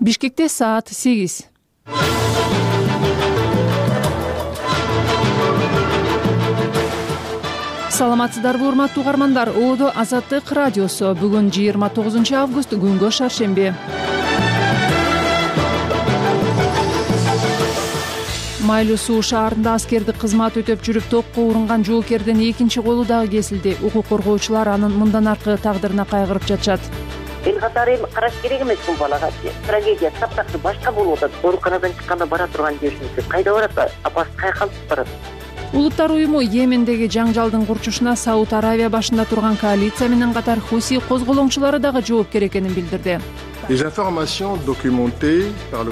Бишкекте саат 8. Саламатсыздарбы урматтуу угармандар. Оодо Азаттык радиосу. Бүгүн 29 август, күнгө шаршемби. Майлуу суу шаарында аскердик кызмат өтөп жүрүп токко урунган жоокердин экинчи колу дагы кесилди. Укук коргоочулар анын мындан аркы тагдырына кайгырып жатышат. Эл катары караш керек эмес бул балага. Трагедия таптакыр башка болуп атат. Ооруканадан чыкканда бара турган жерибизде кайда барат? Апасы кайка алып барат? Улуттар уюму Йемендеги жаңжалдын курчушуна Сауд Аравия башында турган коалиция менен катар Хуси козголоңчулары дагы жоопкер экенин билдирди.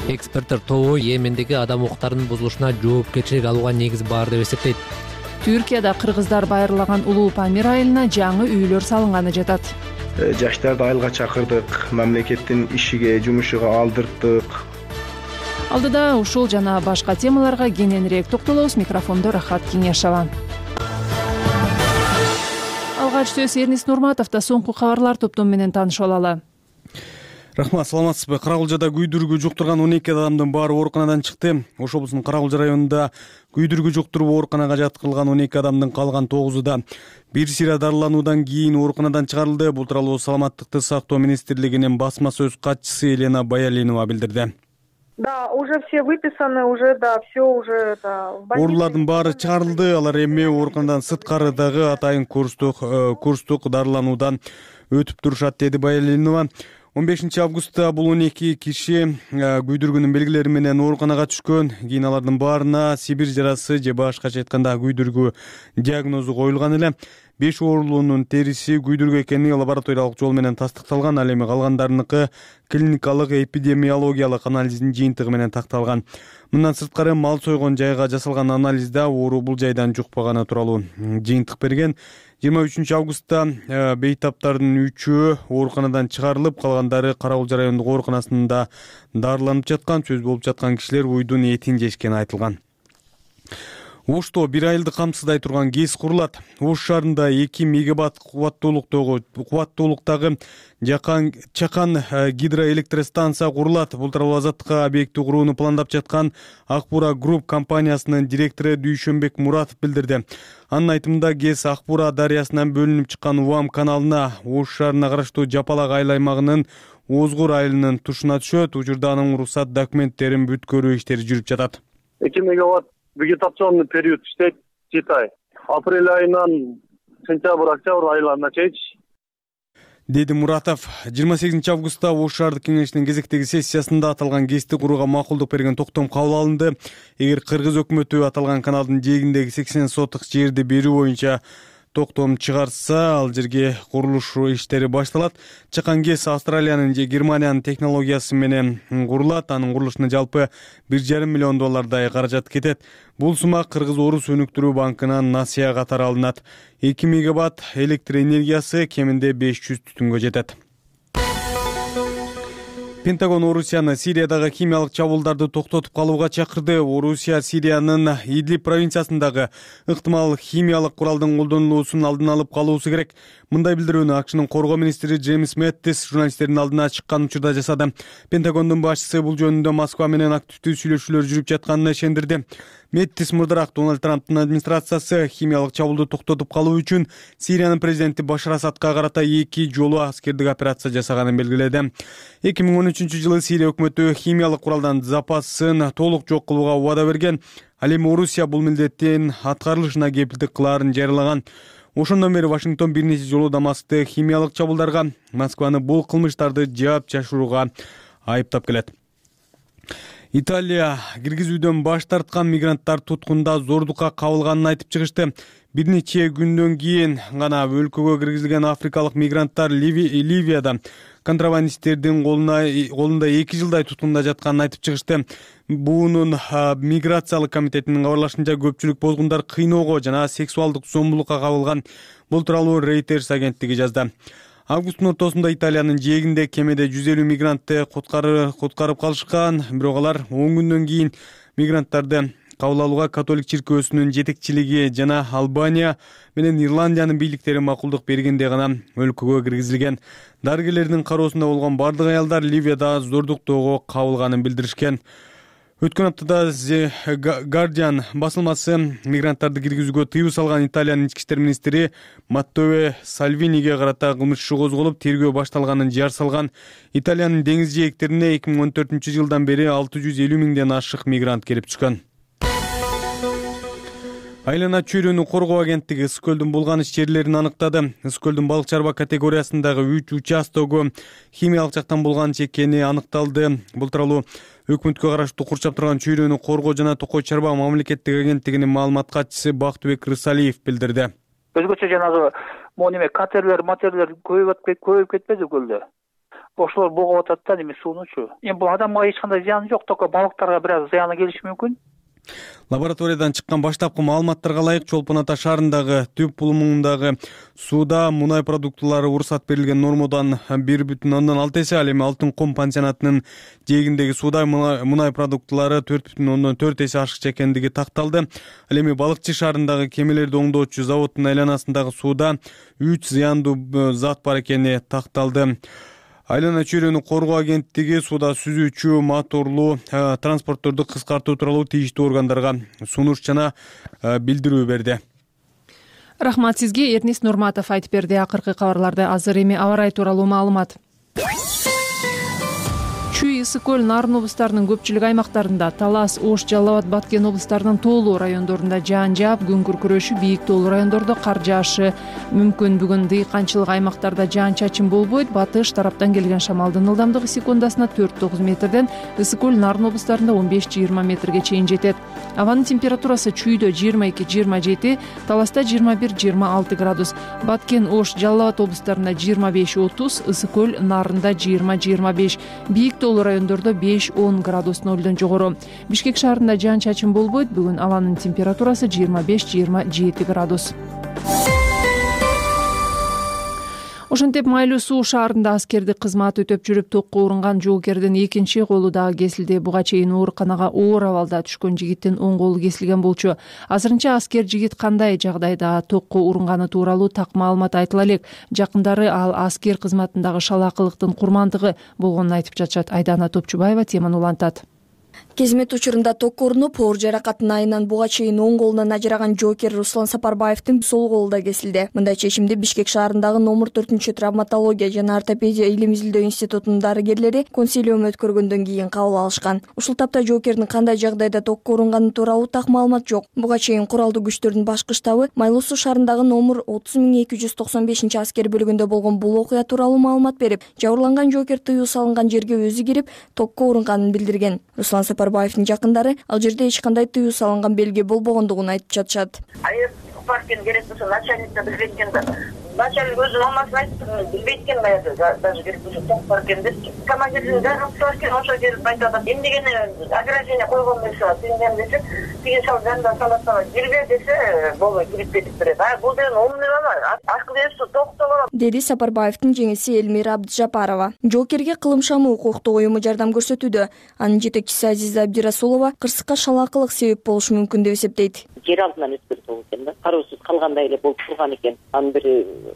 Эксперттер тобу Йемендеги адам укуктарынын бузулушуна жоопкерчилик алууга негиз бар деп эсептейт. Түркияда кыргыздар байырлаган улуу Памир айылына жаңы үйлөр салынганы жатат. Жаштарды айылга чакырдык, мамлекеттин ишиге, жумушуга алдырттык. Алдыда ушул жана башка темаларга кененирээк токтолобуз. Микрофондо Рахат Кеңешова. Алгач сөз Эрнис Нурматовдо. Соңку кабарлар топтому менен таанышып алалы. Рахмат, саламатсызбы? Карагулжада күйдүргү жуктурган 12 адамдын баары ооруканадан чыкты. Ош облусунун Карагулжа районунда күйдүргү жуктуруп ооруканага жаткырылган 12 адамдын калган 9-у да бир сыйра дарылануудан кийин ооруканадан чыгарылды. Бул тууралуу Саламаттыкты сактоо министрлигинин басма сөз катчысы Елена Баялинова билдирди. Да, уже все выписаны, уже, да, все уже, да. Оорулардын баары чыгарылды. Алар эми ооруканадан сырткары дагы атайын курстук дарылануудан өтүп турушат, деди Баялинова. 15 августта бул 12 киши күйдүргүнүн белгилери менен ооруканага түшкөн. Кийин алардын баарына Сибир жарасы же башкача айтканда күйдүргү диагнозу коюлган эле. 5 оорулуунун териси күйдүргү экени лабораториялык жол менен тастыкталган. Ал эми калгандарыныкы клиникалык эпидемиологиялык анализдин жыйынтыгы менен такталган. Мындан сырткары мал сойгон жайга жасалган анализде оору бул жайдан жукпаганы тууралуу жыйынтык берген. 23 августта бейтаптардын 3-өө ооруканадан чыгарылып, калгандары Карагулжа райондук ооруканасында дарыланып жаткан. Сөз болуп жаткан кишилер уйдун этин жешкени айтылган. Ошто бир айылды камсыздай турган ГЭС курулат. Ош шаарында 2 мегаватт кубаттуулуктагы чакан гидроэлектростанция курулат. Бул тууралуу Азаттыкка объекти курууну пландап жаткан Акбура Групп компаниясынын директору Дүйшөнбек Муратов билдирди. Анын айтымында ГЭС Акбура дарыясынан бөлүнүп чыккан Уам каналына Ош шаарына караштуу Жапалак айыл аймагынын Озгур айылынын тушуна түшөт. Учурда анын уруксат документтерин бүткөрүү иштери жүрүп жатат. 2 мегаватт вегетационный период иштейт 7 ай. Апрель айынан сентябрь-октябрь айларына чейин, деди Муратов. 28 августта Ош шаардык кеңешинин кезектеги сессиясында аталган ГЭСти курууга макулдук берген токтом кабыл алынды. Эгер кыргыз өкмөтү аталган каналдын жээгиндеги 80 соток жерди берүү боюнча токтом чыгарса, ал жерге курулуш иштери башталат. Чакан ГЭС Австралиянын же Германиянын технологиясы менен курулат. Анын курулушуна жалпы $1,5 миллион каражат кетет. Бул сума Кыргыз Орус өнүктүрүү банкынан насыя катары алынат. 2 мегаватт электр энергиясы кеминде 500 түтүнгө жетет. Пентагон Орусияны Сириядагы химиялык чабуулдарды токтотуп калууга чакырды. Орусия Сириянын Идлиб провинциясындагы ыктымал химиялык куралдын колдонулуусун алдын алып калуусу керек. Мындай билдирүүнү АКШнын коргоо министри Джеймс Мэттис журналисттердин алдына чыккан учурда жасады. Пентагондун башчысы бул жөнүндө Москва менен активдүү сүйлөшүүлөр жүрүп жатканына ишендирди. Мэттис мурдараак Дональд Трамптын администрациясы химиялык чабуулду токтотуп калуу үчүн Сириянын президенти Башар Асадка карата 2 жолу аскердик операция жасаганын белгиледи. 2013-жылы Сирия өкмөтү химиялык куралдан запасын толук жок кылууга убада берген. Ал эми Орусия бул милдеттин аткарылышына кепилдик кылаарын жарыялаган. Ошондон бери Вашингтон бир нече жолу Дамаскты химиялык чабуулдарга, Москваны бул кылмыштарды жаап жашырууга айыптап келет. Италия киргизүүдөн баш тарткан мигранттар туткунда зордукка кабылганын айтып чыгышты. Бир нече күндөн кийин гана өлкөгө киргизилген африкалык мигранттар Ливияда контрабандисттердин колунда 2 жылдай туткунда жатканын айтып чыгышты. Буунун миграциялык комитетинин кабарлашынча көпчүлүк бозгундар кыйноого жана сексуалдык зомбулукка кабылган. Бул тууралуу Reuters агенттиги жазды. Августтун ортосунда Италиянын жээгинде кемеде 150 мигрантты куткарып калышкан. Бирок алар 10 күндөн кийин мигранттарды кабыл алууга католик чиркөөсүнүн жетекчилиги жана Албания менен Ирландиянын бийликтери макулдук бергенде гана өлкөгө киргизилген. Дарыгерлердин кароосунда болгон бардык аялдар Ливияда зордуктоого кабылганын билдиришкен. Өткөн аптада The Guardian басылмасы мигранттарды киргизүүгө тыюу салган Италиянын ички иштер министри Маттео Сальвиниге карата кылмыш иши козголуп, тергөө башталганын жар салган. Италиянын деңиз жээктерине 2014-жылдан бери 650 миңден ашык мигрант келип түшкөн. Айлана чөйрөнү коргоо агенттиги ысык көлдүн булганыч жерлерин аныктады. Ысык көлдүн балык чарба категориясындагы 3 участогу химиялык жактан булганыч экени аныкталды. Бул тууралуу өкмөткө караштуу курчап турган чөйрөнү коргоо жана токой чарба мамлекеттик агенттигинин маалымат катчысы Бактыбек Рысалиев билдирди. Өзгөчө жанагы мониме катерлер, матерлер көбөйүп кетпеди көлдө. Ошолор богоп атат да эми суунучу. Эми бул адамга эч кандай зыяны жок, только балыктарга бир аз зыяны келиши мүмкүн. Лабораториядан чыккан баштапкы маалыматтарга ылайык Чолпон Ата шаарындагы түп булумундагы сууда мунай продуктылары уруксат берилген нормадан 1,6 эсе, ал эми Алтын ком пансионатынын жээгиндеги сууда мунай продуктылары 4,4 эсе ашыкча экендиги такталды. Ал эми Балыкчы шаарындагы кемелерди оңдоочу заводдун айланасындагы сууда 3 зыяндуу зат бар экени такталды. Айлана чөйрөнү коргоо агенттиги сууда сүзүүчү моторлуу транспортторду кыскартуу тууралуу тийиштүү органдарга сунуш жана билдирүү берди. Рахмат сизге, Эрнест Нурматов айтып берди. Акыркы кабарларды азыр эми аба ырайы тууралуу маалымат. Чүй, Ысык көл, Нарын облустарынын көпчүлүк аймактарында, Талас, Ош, Жалал Абад, Баткен облустарынын тоолуу райондорунда жаан жаап, күн күркүрөшү, бийик тоолуу райондордо кар жаашы мүмкүн. Бүгүн дыйканчылык аймактарда жаан-чачын болбойт. Батыш тараптан келген шамалдын ылдамдыгы секундасына 4-9 метрден, Ысык көл, Нарын облустарында 15-20 метрге чейин жетет. Абанын температурасы Чүйдө 22-27, Таласта 21-26 градус, Баткен, Ош, Жалал Абад облустарында 25-30, Ысык көл, Нарында 20-25, бийик тоолуу райондордо 5-10 градус нөлдөн жогору. Бишкек шаарында жаан-чачын болбойт. Бүгүн абанын температурасы 25-27 градус. Ошентип Майлуу суу шаарында аскердик кызмат өтөп жүрүп токко урунган жоокердин экинчи колу дагы кесилди. Буга чейин ооруканага оор абалда түшкөн жигиттин оң колу кесилген болчу. Азырынча аскер жигит кандай жагдайда токко урунганы тууралуу так маалымат айтыла элек. Жакындары ал аскер кызматындагы шалаакылыктын курмандыгы болгонун айтып жатышат. Айдана Топчубаева теманы улантат. Кезмет учурунда токко урунуп, оор жаракаттын айынан буга чейин оң колунан ажыраган жоокер Руслан Сапарбаевдин сол колу да кесилди. Мындай чечимди Бишкек шаарындагы номер 4 травматология жана ортопедия илим изилдөө институтунун дарыгерлери консилиум өткөргөндөн кийин кабыл алышкан. Ушул тапта жоокердин кандай жагдайда токко урунганы тууралуу так маалымат жок. Буга чейин куралдуу күчтөрдүн башкы штабы Майлуу суу шаарындагы номер 30295 аскер бөлүгүндө болгон бул окуя тууралуу маалымат берип, жабырланган жоокер тыюу салынган жерге өзү кирип токко урунганын билдирген. Руслан Сапарбаевдин жакындары ал жерде эч кандай тыюу салынган белги болбогондугун айтып жатышат. Паркин керек болсо начальникке билбейт экен да. Начальник өзү мамасына айтып, билбейт экен даже керек болсо ток паркин деп. Командирдин дароо паркин ошо келип айтат. Эмнегени ограждение койгон болсо, тиңден десе, тиги сал жандан салат кирбе десе, болбой кирип кетип берет. Бул деген умный бала, акыл эси токто бала, деди Сапарбаевдин жеңиси Элмира Абдыжапарова. Жоокерге кылым шамы укуктук уюму жардам көрсөтүүдө. Анын жетекчиси Азиза Абдирасулова кырсыкка шалаакылык себеп болушу мүмкүн деп эсептейт. Жер алдынан өткөрүп экен да. Кароосуз калгандай эле болуп турган экен. Анын бир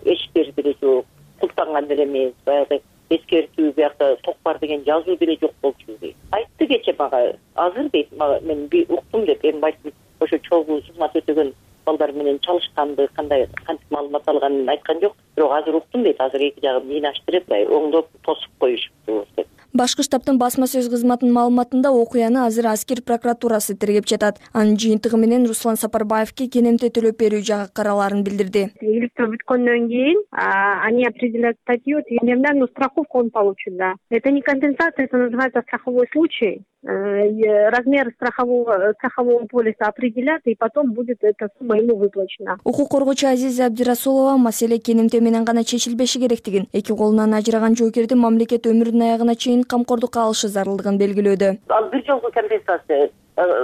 эшиктерди деле жок, култанган деле эмес, баягы эскертүү биякта ток бар деген жазуу деле жок болчу дейт. Айтты кече мага, азыр дейт, мен уктум деп, эми айтып, ошо чогуу кызмат өтөгөн балдар менен чалышканды, кантип маалымат алганын айткан жок. Бирок азыр уктум дейт, азыр эки жагын мыйнаштырып, оңдоп тосуп коюшупту деп. Башкы штабтын басма сөз кызматынын маалыматында окуяны азыр аскер прокуратурасы тергеп жатат. Анын жыйынтыгы менен Руслан Сапарбаевке кенемте төлөп берүү жагы караларын билдирди. Иликтөө бүткөндөн кийин они определяют статью, тендерную страховку он получит, да. Это не компенсация, это называется страховой случай. Размер страхового полиса определят, и потом будет эта сумма ему выплачена. Укук коргоочу Азиза Абдирасулова маселе кенемте менен гана чечилбеши керектигин, эки колунан ажыраган жоокерди мамлекет өмүрүнүн аягына чейин камкордукка алышы зарылдыгын белгилөөдө. Ал бир жолку компенсация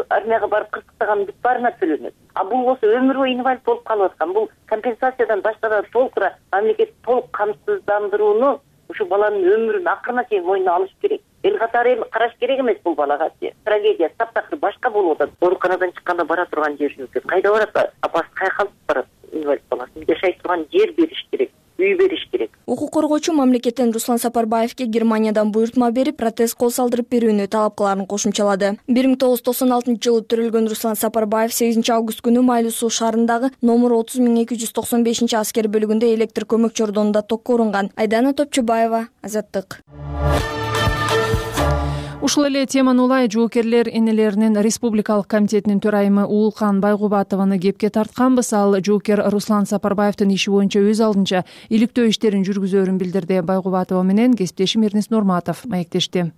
армияга барып кырсыктаган бүт баарына төлөнөт. Бул болсо өмүр бою инвалид болуп калып аткан. Бул компенсациядан башкада толук мамлекет толук камсыздандырууну ушу баланын өмүрүн акырына чейин мойнуна алыш керек. эл катары караш керек эмес бул балага. Трагедия таптакыр башка болуп атат. Ооруканадан чыкканда бара турган жерин кайда барат? Апасы кайга калып барат? Инвалид баласы жашай турган жер бериш керек, үй бериш керек. Укук коргоочу мамлекеттен Руслан Сапарбаевке Германиядан буйртма берип, протез кол салдырып берүүнү талап кыларын кошумчалады. 1996-жылы төрөлгөн Руслан Сапарбаев 8-август күнү Майлуу Суу шаарындагы номер 30295 аскер бөлүгүндө электр көмөкчү ордонунда токко урунган. Айдана Топчубаева, Азаттык. Ушул эле теманы улай жоокерлер энелеринин Республикалык комитетинин төрайымы Уулкан Байгубатованы кепке тартканбыз. Ал жоокер Руслан Сапарбаевдин иши боюнча өз алдынча иликтөө иштерин жүргүзөөрүн билдирди. Байгубатова менен кесиптешим Эрнис Нурматов маектешти.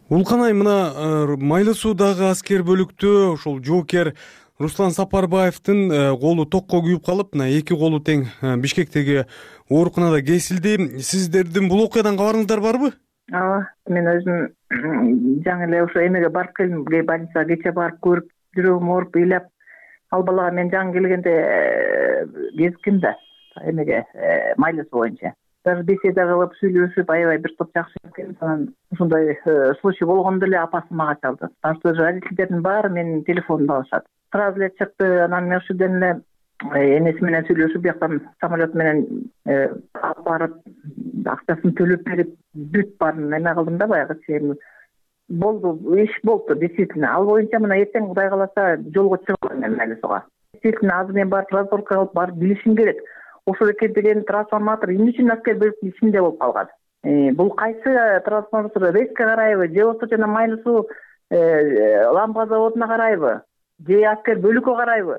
Уулкан ай, мына Майлуу Суудагы аскер бөлүктө ошол жоокер Руслан Сапарбаевдин колу токко күйүп калып, мына эки колу тең Бишкектеги ооруканада кесилди. Сиздердин бул окуядан кабарыңыздар барбы? Ооба, мен өзүм жаңы эле ошо эмеге барып келдим, больницага кече барып көрүп, жүрөгүм ооруп, ыйлап, ал балага мен жаңы келгенде кезиктим да, эмеге Майлуу Суу боюнча. Даже беседа кылып, сүйлөшүп, аябай бир топ жакшы экен. Анан ушундай случай болгондо эле апасы мага чалды. Башка родительдердин баары менин телефонумду алышат. Сразу эле чыкты, анан мен ушуден эле энеси менен сүйлөшүп, бияктан самолет менен алып барып, акчасын төлөп берип, бүт баарын эме кылдым да, баягы болду, иш болду действительно. Ал боюнча мына эртең Кудай кааласа жолго чыгам мен Майлуу Сууга. Действительно, азыр мен барып разборка кылып, барып билишим керек. Ошол экен деген трансформатор эмне үчүн аскер бөлүктүн ичинде болуп калган? Бул кайсы трансформатор, РЭСКке карайбы, же болбосо жана Майлуу Суу ламба заводуна карайбы, же аскер бөлүккө карайбы?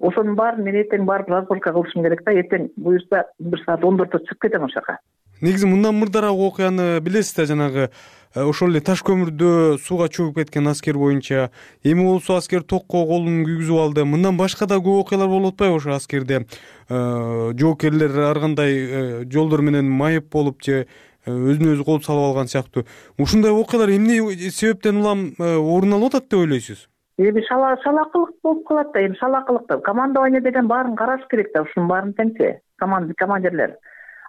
Ошонун баарын мен эртең барып разборка кылышым керек да. Эртең буюрса 1 саат 14-тө чыгып кетем ошол жака. Негизи мындан мурдараак окуяны билесиз да, жанагы ошол эле таш көмүрдө сууга чөгүп кеткен аскер боюнча. Эми болсо аскер токко колун күйгүзүп алды. Мындан башка да көп окуялар болуп атпайбы ошо аскерде? Жоокерлер ар кандай жолдор менен майып болуп же өзүнө өзү кол салып алган сыяктуу. Ушундай окуялар эмне себептен улам орун алып атат деп ойлойсуз? Эми шалакылык болуп калат да, эми шалакылык да. Командование деген баарын караш керек да, ушунун баарын теңчи. Командирлер.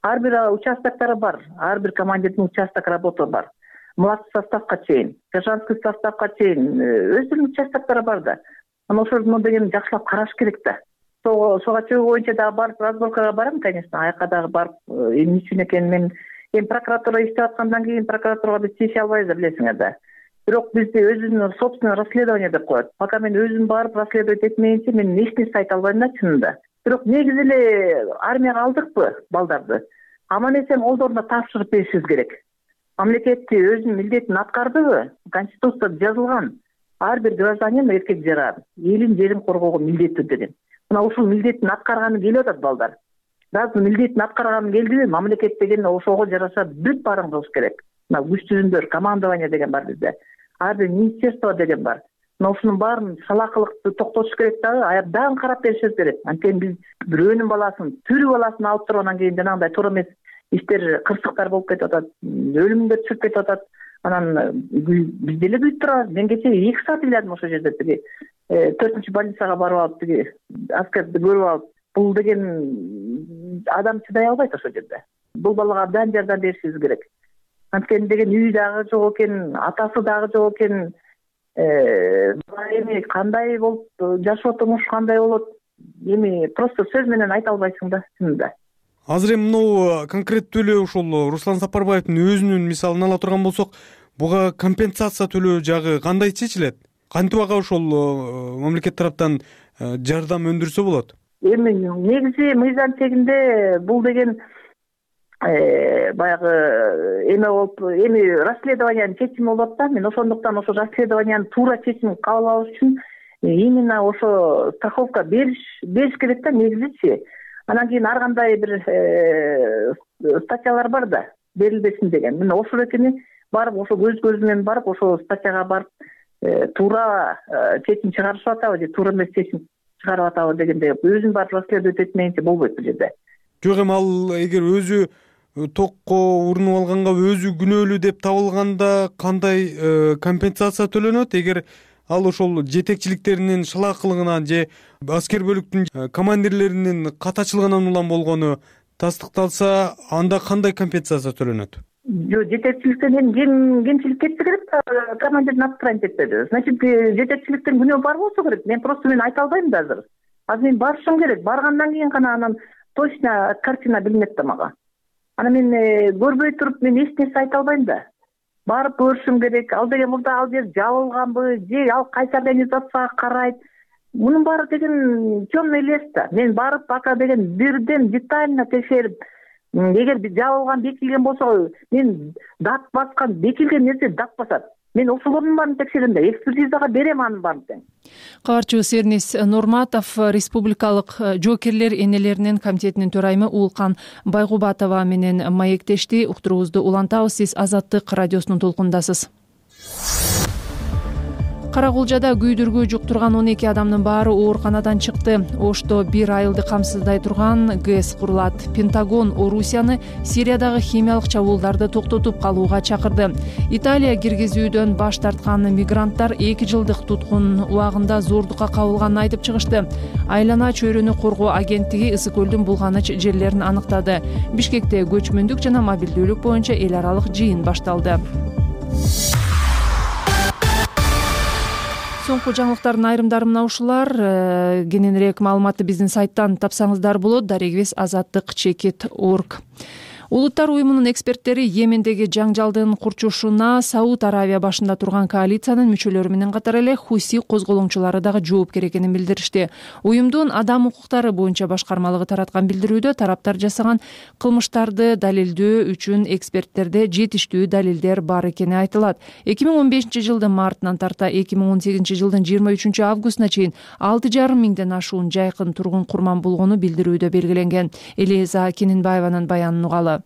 Ар бир участоктары бар, ар бир командирдин участок работасы бар. Младший составга чейин, сержантский составга чейин өздөрүнүн участоктары бар да. Анан ошону деген жакшылап караш керек да. Сууга чөгүү боюнча дагы барып разборкага барам, конечно. Аяка дагы барып эмне үчүн экенин мен эми прокуратура иштеп аткандан кийин прокуратурага биз тийише албайбыз да, билесиңер да. Бирок бизди өзүнүн собственный расследование деп коет. Пока мен өзүм барып расследовать этмейинче мен эч нерсе айта албайм да, чынында. Бирок негизи эле армияга алдыкпы балдарды? Аман эсен колдоруна тапшырып беришибиз керек. Мамлекетти өзүнүн милдетин аткардыбы? Конституцияда жазылган. Ар бир гражданин эркек жаран элин жерин коргоого милдеттүү деген. Мына ушул милдетин аткарганы келип атат балдар. Дагы милдетин аткарганы келдиби? Мамлекет деген ошого жараша бүт баарын кылыш керек. Мына күч түзүмдөр, командование деген бар бизде. Ар бир министерство деген бар. Мына ушунун баарын шалакылыкты токтотуш керек дагы, дагы карап беришибиз керек. Анткени биз бирөөнүн баласын, тирүү баласын алып туруп анан кийин жанагындай туура эмес иштер, кырсыктар болуп кетип атат, өлүмгө чыгып кетип атат. Анан биз деле күйүп турабыз. Мен кечээ 2 саат ыйладым ошол жерде, тиги 4-ч больницага барып алып, тиги аскерди көрүп алып. Бул деген адам чыдай албайт ошол жерде. Бул балага абдан жардам беришибиз керек. Анткени деген үй дагы жок экен, атасы дагы жок экен. Эми кандай болуп жашоо турмуш кандай болот? Эми просто сөз менен айта албайсың да, чынында. Азыр эми мынау конкреттүү эле ошол Руслан Сапарбаевдин өзүнүн мисалын ала турган болсок, буга компенсация төлөө жагы кандай чечилет? Кантип ага ошол мамлекет тараптан жардам өндүрсө болот? Эми негизи мыйзам чегинде бул деген баягы эме болуп, эми расследованиянын чечими болот да. Мен ошондуктан ошо расследованиянын туура чечимин кабыл алыш үчүн именно ошо страховка бериш керек да, негизичи. Анан кийин ар кандай бир статьялар бар да, берилбесин деген. Мына ошол экени барып, ошо көз менен барып, ошо статьяга барып туура чечим чыгарышып атабы же туура эмес чечим чыгарып атабы дегенде өзүн барып расследовать этмейинче болбойт бул жерде. Жок, эми ал эгер өзү токко урунуп алганга өзү күнөөлүү деп табылганда кандай компенсация төлөнөт? Эгер ал ошол жетекчиликтеринин шалаакылыгынан же аскер бөлүктүн командирлеринин катачылыгынан улам болгону тастыкталса, анда кандай компенсация төлөнөт? Жок, жетекчиликтен эми кемчилик кетсе керек да, командирдин аттырайын жетпеди. Значит, жетекчиликтин күнөө бар болсо керек. Мен просто айта албайм да азыр. Азыр мен барышым керек. Баргандан кийин гана анан точно картина билинет да мага. Анан мен көрбөй туруп мен эч нерсе айта албайм да. Барып көрүшүм керек. Ал деген мурда ал жер жабылганбы, же ал кайсы организацияга карайт. Мунун баары деген темный лес да. Мен барып ака деген бирден детально текшерип, эгер жабылган, бекилген болсо, мен дат баскан, бекилген нерсе дат басат. Мен ошолордун баарын текшерем да, экспертизага берем анын баарын тең. Кабарчыбыз Эрнис Нурматов Республикалык жоокерлер энелеринин комитетинин төрайымы Уулкан Байгубатова менен маектешти. Уктуруубузду улантабыз. Сиз Азаттык радиосунун толкунундасыз. Кара Кулжада күйдүргү жуктурган 12 адамдын баары ооруканадан чыкты. Ошто 1 айылды камсыздай турган ГЭС курулат. Пентагон Орусияны Сириядагы химиялык чабуулдарды токтотуп калууга чакырды. Италия киргизүүдөн баш тарткан мигранттар 2 жылдык туткун убагында зордукка кабылганын айтып чыгышты. Айлана чөйрөнү коргоо агенттиги Ысык көлдүн булганыч жерлерин аныктады. Бишкекте көчмөндүк жана мобилдүүлүк боюнча эл аралык жыйын башталды. Соңку жаңылыктардын айрымдары мына ушулар. Кененирээк маалыматты биздин сайттан тапсаңыздар болот. Дарегибиз azattik.org. Улуттар уюмунун эксперттери Йемендеги жаңжалдын курчушуна Сауд Аравия башында турган коалициянын мүчөлөрү менен катар эле Хуси козголоңчулары дагы жоопкер экенин билдиришти. Уюмдун адам укуктары боюнча башкармалыгы тараткан билдирүүдө тараптар жасаган кылмыштарды далилдөө үчүн эксперттерде жетиштүү далилдер бар экени айтылат. 2015-жылдын мартынан тарта 2018-жылдын 23 августуна чейин 6,5 миңден ашуун жайкын тургун курман болгону билдирүүдө белгиленген. Элиза Кененбаеванын баянын угалы.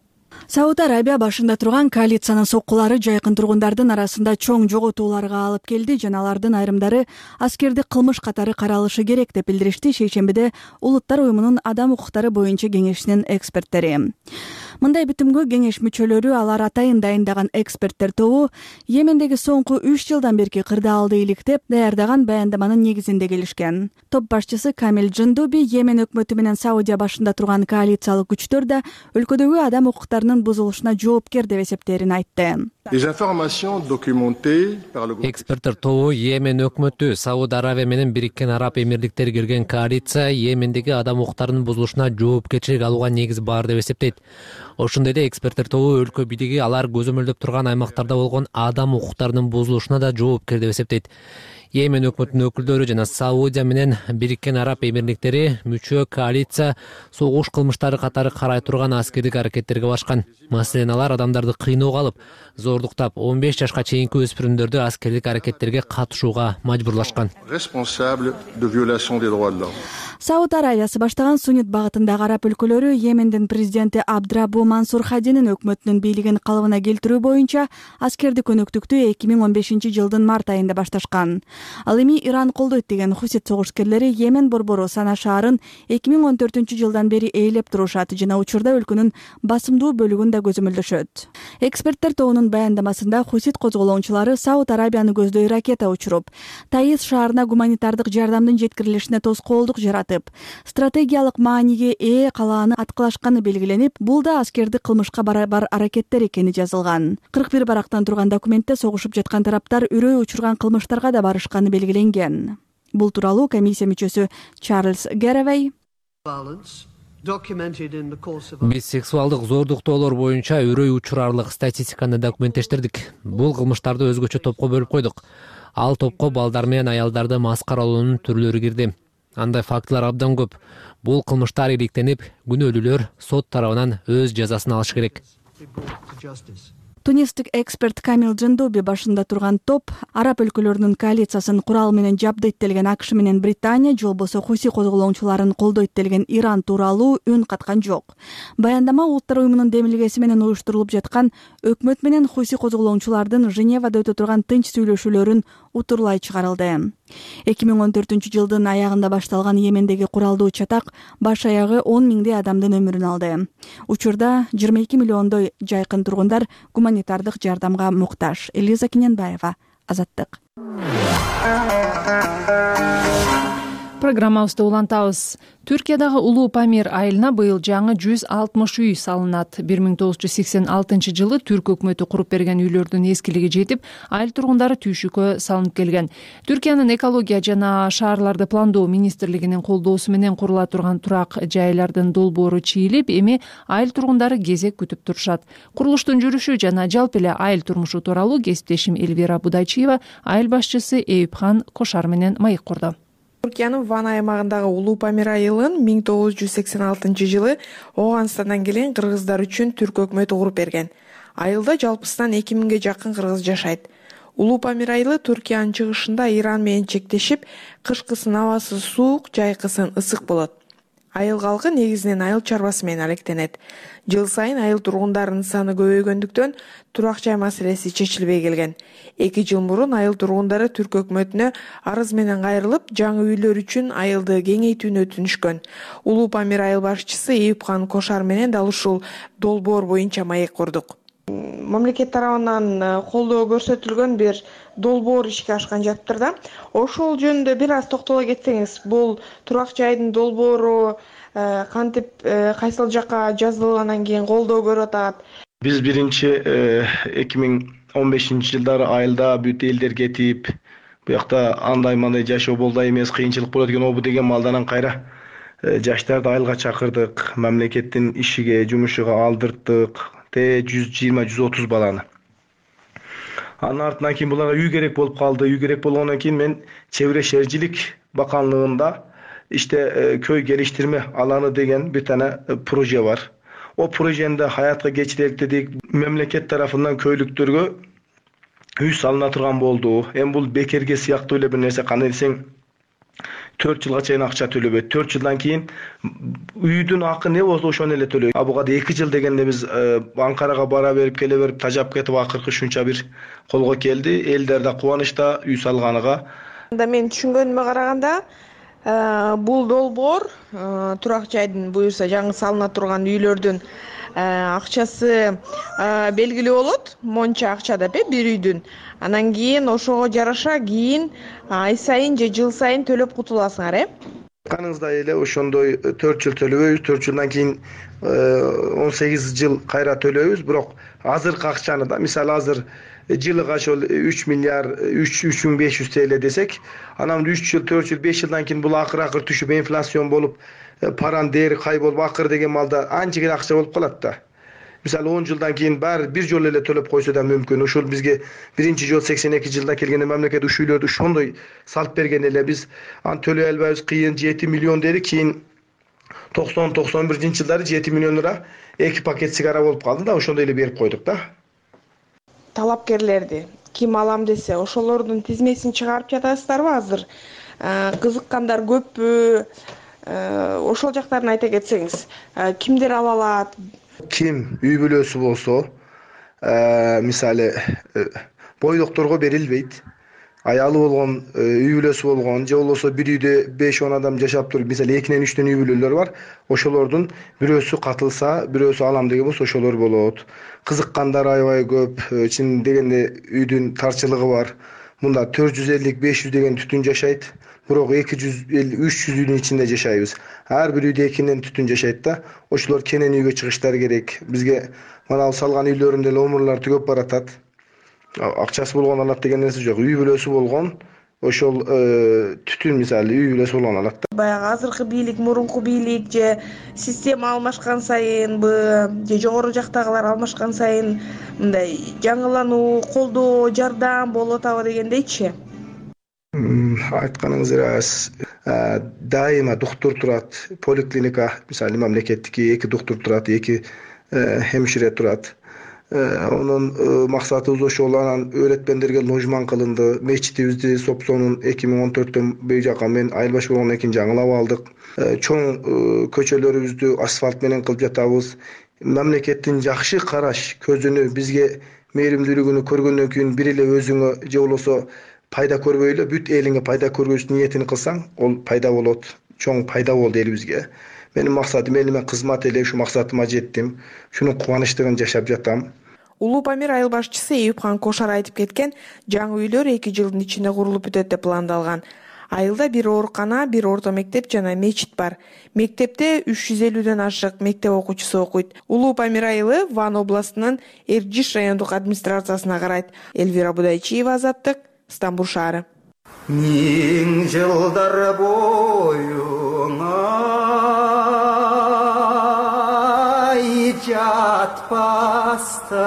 Сауд Арабия башында турган коалициянын соккулары жайкын тургундардын арасында чоң жоготууларга алып келди жана алардын айрымдары аскердик кылмыш катары каралышы керек деп билдиришти шейшембиде Улуттар уюмунун адам укуктары боюнча кеңешинин эксперттери. Мындай бүтүмгө кеңеш мүчөлөрү алар атайын дайындаган эксперттер тобу Йемендеги соңку 3 жылдан берки кырдаалды иликтеп даярдаган баяндаманын негизинде келишкен. Топ башчысы Камил Джандуби Йемен өкмөтү менен Саудия башында турган коалициялык күчтөр да өлкөдөгү адам укуктарынын бузулушуна жоопкер деп эсептерин айтты. Эксперттер тобу Йемен өкмөтү Сауд Аравия менен Бириккен Араб Эмирликтери кирген коалиция Йемендеги адам укуктарынын бузулушуна жоопкерчилик алууга негиз бар деп эсептейт. Ошондой эле эксперттер тобу өлкө бийлиги алар көзөмөлдөп турган аймактарда болгон адам укуктарынын бузулушуна да жоопкер деп эсептейт. Йемен өкмөтүнүн өкүлдөрү жана Саудия менен Бириккен Араб Эмирликтери мүчө коалиция согуш кылмыштары катары карай турган аскердик аракеттерге башкан. Маселен, алар адамдарды кыйноого алып, зордуктап 15 жашка чейинки өспүрүмдөрдү аскердик аракеттерге катышууга мажбурлашкан. Сауд Аравиясы баштаган суннит багытындагы араб өлкөлөрү Йемендин президенти Абдрабу Мансур Хадинин өкмөтүнүн бийлигин калыбына келтирүү боюнча аскердик өнөктүктү 2015-жылдын март айында башташкан. Ал эми Иран колдойт деген хусит согушкерлери Йемен борбору Сана шаарын 2014-жылдан бери ээлеп турушат жана учурда өлкөнүн басымдуу бөлүгүн да көзөмөлдөшөт. Эксперттер тобунун баяндамасында хусит козголоңчулары Сауд Арабияны көздөй ракета учуруп, Таиз шаарына гуманитардык жардамдын жеткирилишине тоскоолдук жаратып, стратегиялык мааниге ээ калааны аткылашканы белгиленип, бул да аскердик кылмышка барабар аракеттер экени жазылган. 41 барактан турган документте согушуп жаткан тараптар үрөй учурган кылмыштарга да барышканы белгиленген. Бул тууралуу комиссия мүчөсү Чарльз Гэревей Биз сексуалдык зордуктоолор боюнча үрөй учурарлык статистиканы документтештирдик. Бул кылмыштарды өзгөчө топко бөлүп койдук. Ал топко балдар менен аялдарды маскаралоонун түрлөрү кирди. Андай фактылар абдан көп. Бул кылмыштар иликтенип, күнөөлүүлөр сот тарабынан өз жазасын алышы керек. Тунистик эксперт Камил Джандуби башында турган топ араб өлкөлөрүнүн коалициясын курал менен жабдыйт делген АКШ менен Британия же болбосо хуси козголоңчуларын колдойт делген Иран тууралуу үн каткан жок. Баяндама Улуттар уюмунун демилгеси менен уюштурулуп жаткан өкмөт менен хуси козголоңчулардын Женевада өтө турган тынч сүйлөшүүлөрүн утурлай чыгарылды. 2014-жылдын аягында башталган Йемендеги куралдуу чатак баш аягы 10 миңдей адамдын өмүрүн алды. Учурда 22 миллиондой жайкын тургундар гуманитардык жардамга муктаж. Элиза Кененбаева, Азаттык. программабызды улантабыз. Түркиядагы Улуу Памир айылына быйыл жаңы 160 үй салынат. 1986 жылы Түрк өкмөтү куруп берген үйлөрдүн эскилиги жетип, айыл тургундары түйшүккө салынып келген. Түркиянын экология жана шаарларды пландоо министрлигинин колдоосу менен курула турган турак жайлардын долбоору чийилип, эми айыл тургундары кезек күтүп турушат. Курулуштун жүрүшү жана жалпы эле айыл турмушу тууралуу кесиптешим Элвира Будайчиева айыл башчысы Эюпхан Кошар менен маек курду. Түркиянын Ван аймагындагы Улуу Памир айылын 1986 жылы Ооганстандан келген кыргыздар үчүн Түрк өкмөтү куруп берген. Айылда жалпысынан 2000ге жакын кыргыз жашайт. Улуу Памир айылы Түркиянын чыгышында Иран менен чектешип, кышкысын абасы суук, жайкысын ысык болот. Айыл калкы негизинен айыл чарбасы менен алектенет. Жыл сайын айыл тургундарынын саны көбөйгөндүктөн турак жай маселеси чечилбей келген. 2 жыл мурун айыл тургундары Түрк өкмөтүнө арыз менен кайрылып, жаңы үйлөр үчүн айылды кеңейтүүнү өтүнүшкөн. Улуу Памир айыл башчысы Эюпхан Кошар менен дал ушул долбоор боюнча маек курдук. Мамлекет тарабынан колдоо көрсөтүлгөн бир долбоор ишке ашкан жатыптыр да. Ошол жөнүндө бир аз токтоло кетсеңиз, бул турак жайдын долбоору кантип кайсыл жакка жазылгандан кийин колдоо көрүп атат? Биз биринчи 2015 жылдары айылда бүт элдер кетип, буякта андай-мандай жашоо болду эмес, кыйынчылык болот экен обу деген малданан кайра жаштарды айылга чакырдык, мамлекеттин ишиге, жумушуга алдырттык. 120-130 баланы. Анын артынан кийин буларга үй керек болуп калды. Үй керек болгондон кийин мен Чебире шээрчилик баканлыгында көй келиштирме аланы деген бир тане проже бар. О прожени хаятка кечирелик дедик. Мамлекет тарафынан көйлүктөргө үй салына турган болду. Эми бул бекерге сыяктуу эле бир нерсе, кандай десең 4 жылга чейин акча төлөбөйт. 4 жылдан кийин үйдүн акы не болсо ошону эле төлөйт. Буга 2 жыл дегенде биз Анкарага бара берип, келе берип, тажап кетип, акыркы ушунча бир колго келди. Элдер да кубанычта үй салганыга. Мен түшүнгөнүмө караганда, бул долбоор турак жайдын буюрса жаңы салына турган үйлөрдүн акчасы белгилүү болот. Монча акча деп бир үйдүн. Анан кийин ошого жараша кийин ай сайын же жыл сайын төлөп кутуласыңар, Каныңыздай эле ошондой 4 жыл төлөбөйбүз, 4 жылдан кийин 18 жыл кайра төлөйбүз, бирок азыркы акчаны да, мисалы азыр жылыга ошол 3 миллиард 3500 TL десек, анан 3 жыл, 4 жыл, 5 жылдан кийин бул акыр түшүп, инфляцион болуп, паранын дээри кайболуп, акыр деген малда анча эле акча болуп калат да. Мисалы 10 жылдан кийин баары бир жолу эле төлөп койсо да мүмкүн. Ошол бизге биринчи жол 82 жылда келгенде мамлекет ушул үйлөрдү ошондой салып берген эле, биз аны төлөй албайбыз, кыйын 7 миллион дедик, кийин 90-91 жылдары 7 миллион лира 2 пакет сигара болуп калды да, ошондой эле берип койдук да. Талапкерлерди ким алам десе, ошолордун тизмесин чыгарып жатасыздарбы азыр? Кызыккандар көппү? Ошол жактарын айта кетсеңиз, кимдер ала алат? Ким үй бүлөсү болсо, мисалы бойдокторго берилбейт. Аялы болгон, үй бүлөсү болгон, же болбосо бир үйдө 5-10 адам жашап туруп, мисалы 2-3 үй бүлөлөр бар. Ошолордун бирөөсү катылса, бирөөсү алам деген болсо ошолор болот. Кызыккандар аябай көп. Чын дегенде үйдүн тарчылыгы бар. Мында 450-500 деген түтүн жашайт. Бирок 250-300 үйдүн ичинде жашайбыз. Ар бир үйдө 2ден түтүн жашайт да. Ошолор кенен үйгө чыгыштары керек. Бизге мына салган үйлөрүндө эле омурлар түгөп баратат. Акчасы болгон алат деген нерсе жок. Үй бүлөсү болгон, ошол түтүн мисалы үй бүлөсү болгон алат да. Баягы азыркы бийлик, мурунку бийлик же система алмашкан сайынбы, же жогору жактагылар алмашкан сайын мындай жаңылануу, колдоо, жардам болуп атабы дегендейчи? Айтканыңыз рас. Дайыма доктор турат, поликлиника, мисалы мамлекеттики 2 доктор турат, 2 хемшире турат. Онун максатыбыз ошол. Анан өйрөтмөндөргө ложман кылынды. Мечитибизди Сопсонун 2014-төн бери жака мен айыл башы болгондон кийин жаңылап алдык. Чоң көчөлөрүбүздү асфальт менен кылып жатабыз. Мамлекеттин жакшы караш көзүнү, бизге мээримдүүлүгүнү көргөндөн кийин бир эле өзүңө же болбосо пайда көрбөй эле бүт элиңе пайда көргөз ниетин кылсаң, ол пайда болот. Чоң пайда болду элибизге. Менин максатым, мен кызмат эле ушу максатыма жеттим. Шунун кубанычтыгын жашап жатам. Улуу Памир айыл башчысы Эюпхан Кошар айтып кеткен, жаңы үйлөр 2 жылдын ичинде курулуп бүтөт деп пландалган. Айылда бир оорукана, бир орто мектеп жана мечит бар. Мектепте 350ден ашык мектеп окуучусу окуйт. Улуу Памир айылы Ван областынын Эрдиш райондук администрациясына карайт. Элвира Будайчиева, Азаттык, Стамбул шаары. Миң жылдар боюңа жатпаста.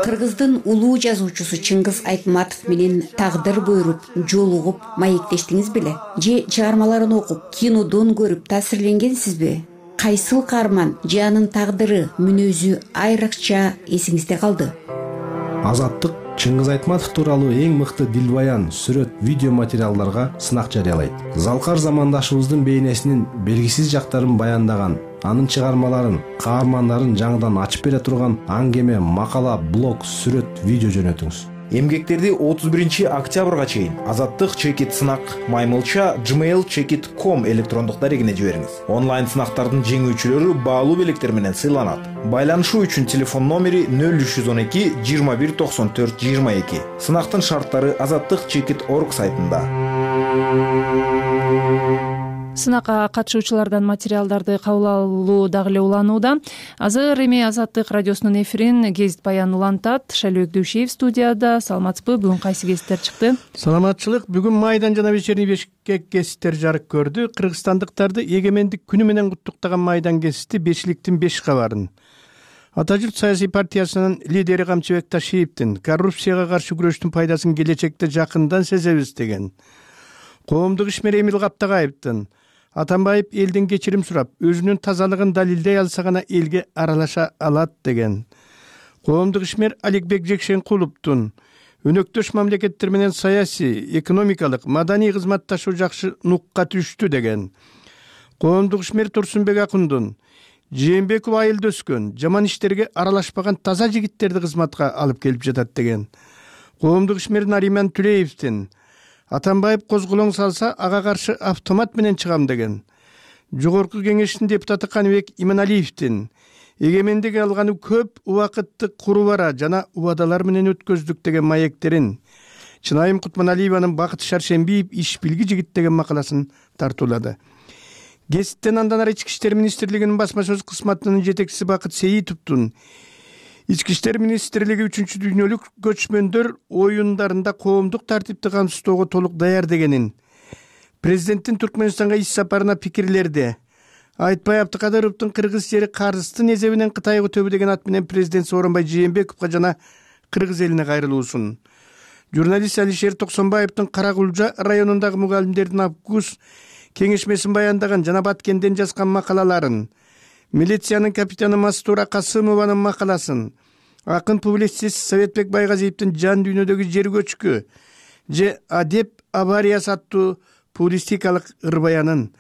Кыргыздын улуу жазуучусу Чыңгыз Айтматов менен тагдыр буйруп, жолугуп, маектештиңиз беле? Же чыгармаларын окуп, кинодон көрүп таасирленгенсизби? Кайсыл каарман же анын тагдыры, мүнөзү айрыкча эсиңизде калды? Азаттык Чыңгыз Айтматов тууралуу эң мыкты дилбаян, сүрөт, видео материалдарга сынак жарыялайт. Залкар замандашыбыздын бейнесинин белгисиз жактарын баяндаган, анын чыгармаларын, каармандарын жаңыдан ачып бере турган аңгеме, макала, блог, сүрөт, видео жөнөтүңүз. Эмгектерди 31 октябрга чейин Азаттык чекит сынак маймылча gmail.com электрондук дарегине жибериңиз. Онлайн сынактардын жеңүүчүлөрү баалуу белектер менен сыйланат. Байланышуу үчүн телефон номери 0312 21 94 22. Сынактын шарттары azattikchekit.org сайтында. Сынакка катышуучулардан материалдарды кабыл алуу дагы эле уланууда. Азыр эми Азаттык радиосунун эфирин гезит баян улантат. Шайлоок Дүйшеев студияда. Саламатсызбы? Бүгүн кайсы гезиттер чыкты? Саламатчылык. Бүгүн Майдан жана Вечерний Бишкек гезиттер жарык көрдү. Кыргызстандыктарды эгемендик күнү менен куттуктаган Майдан гезити Бешиликтин 5 кабарын. Ата журт саясий партиясынын лидери Камчыбек Ташиевдин коррупцияга каршы күрөштүн пайдасын келечекте жакындан сезебиз деген. Коомдук ишмер Эмил Каптагаевдин Атамбаев элден кечирим сурап, өзүнүн тазалыгын далилдей алса гана элге аралаша алат деген. Коомдук ишмер Аликбек Жекшенкуловдун өнөктөш мамлекеттер менен саясий, экономикалык, маданий кызматташуу жакшы нукка түштү деген. Коомдук ишмер Турсунбек Акундун Жээнбеков айылда өскөн, жаман иштерге аралашпаган таза жигиттерди кызматка алып келип жатат деген. Коомдук ишмер Нариман Түлеевдин Атамбаев козголоң салса, ага каршы автомат менен чыгам деген. Жогорку кеңештин депутаты Каныбек Иманалиевдин эгемендик алганы көп убакытты курубара жана убадалар менен өткөздүк деген маектерин, Чынайым Кутманалиеванын Бакыт Шаршембиев иш билги жигит деген макаласын тартуулады. Гезиттен андан ары Ички иштер министрлигинин басма сөз кызматынын жетекчиси Бакыт Сейитовдун Ички иштер министрлиги 3 дүйнөлүк көчмөндөр оюндарында коомдук тартипти камсыздоого толук даяр дегенин, президенттин Түркмөнстанга иш сапарына пикирлерди, Айтбай Абдыкадыровдун кыргыз жери карыздын эсебинен Кытайга өтөбү деген ат менен президент Сооронбай Жээнбековго жана кыргыз элине кайрылуусун, журналист Алишер Токсонбаевдин Каракулжа районундагы мугалимдердин август кеңешмесин баяндаган жана Баткенден жазган макалаларын, милициянын капитаны Мастура Касымованын макаласын, акын публицист Советбек Байгазиевдин Жан дүйнөдөгү жер көчкү же Адеп авариясы аттуу публистикалык ырбаянын,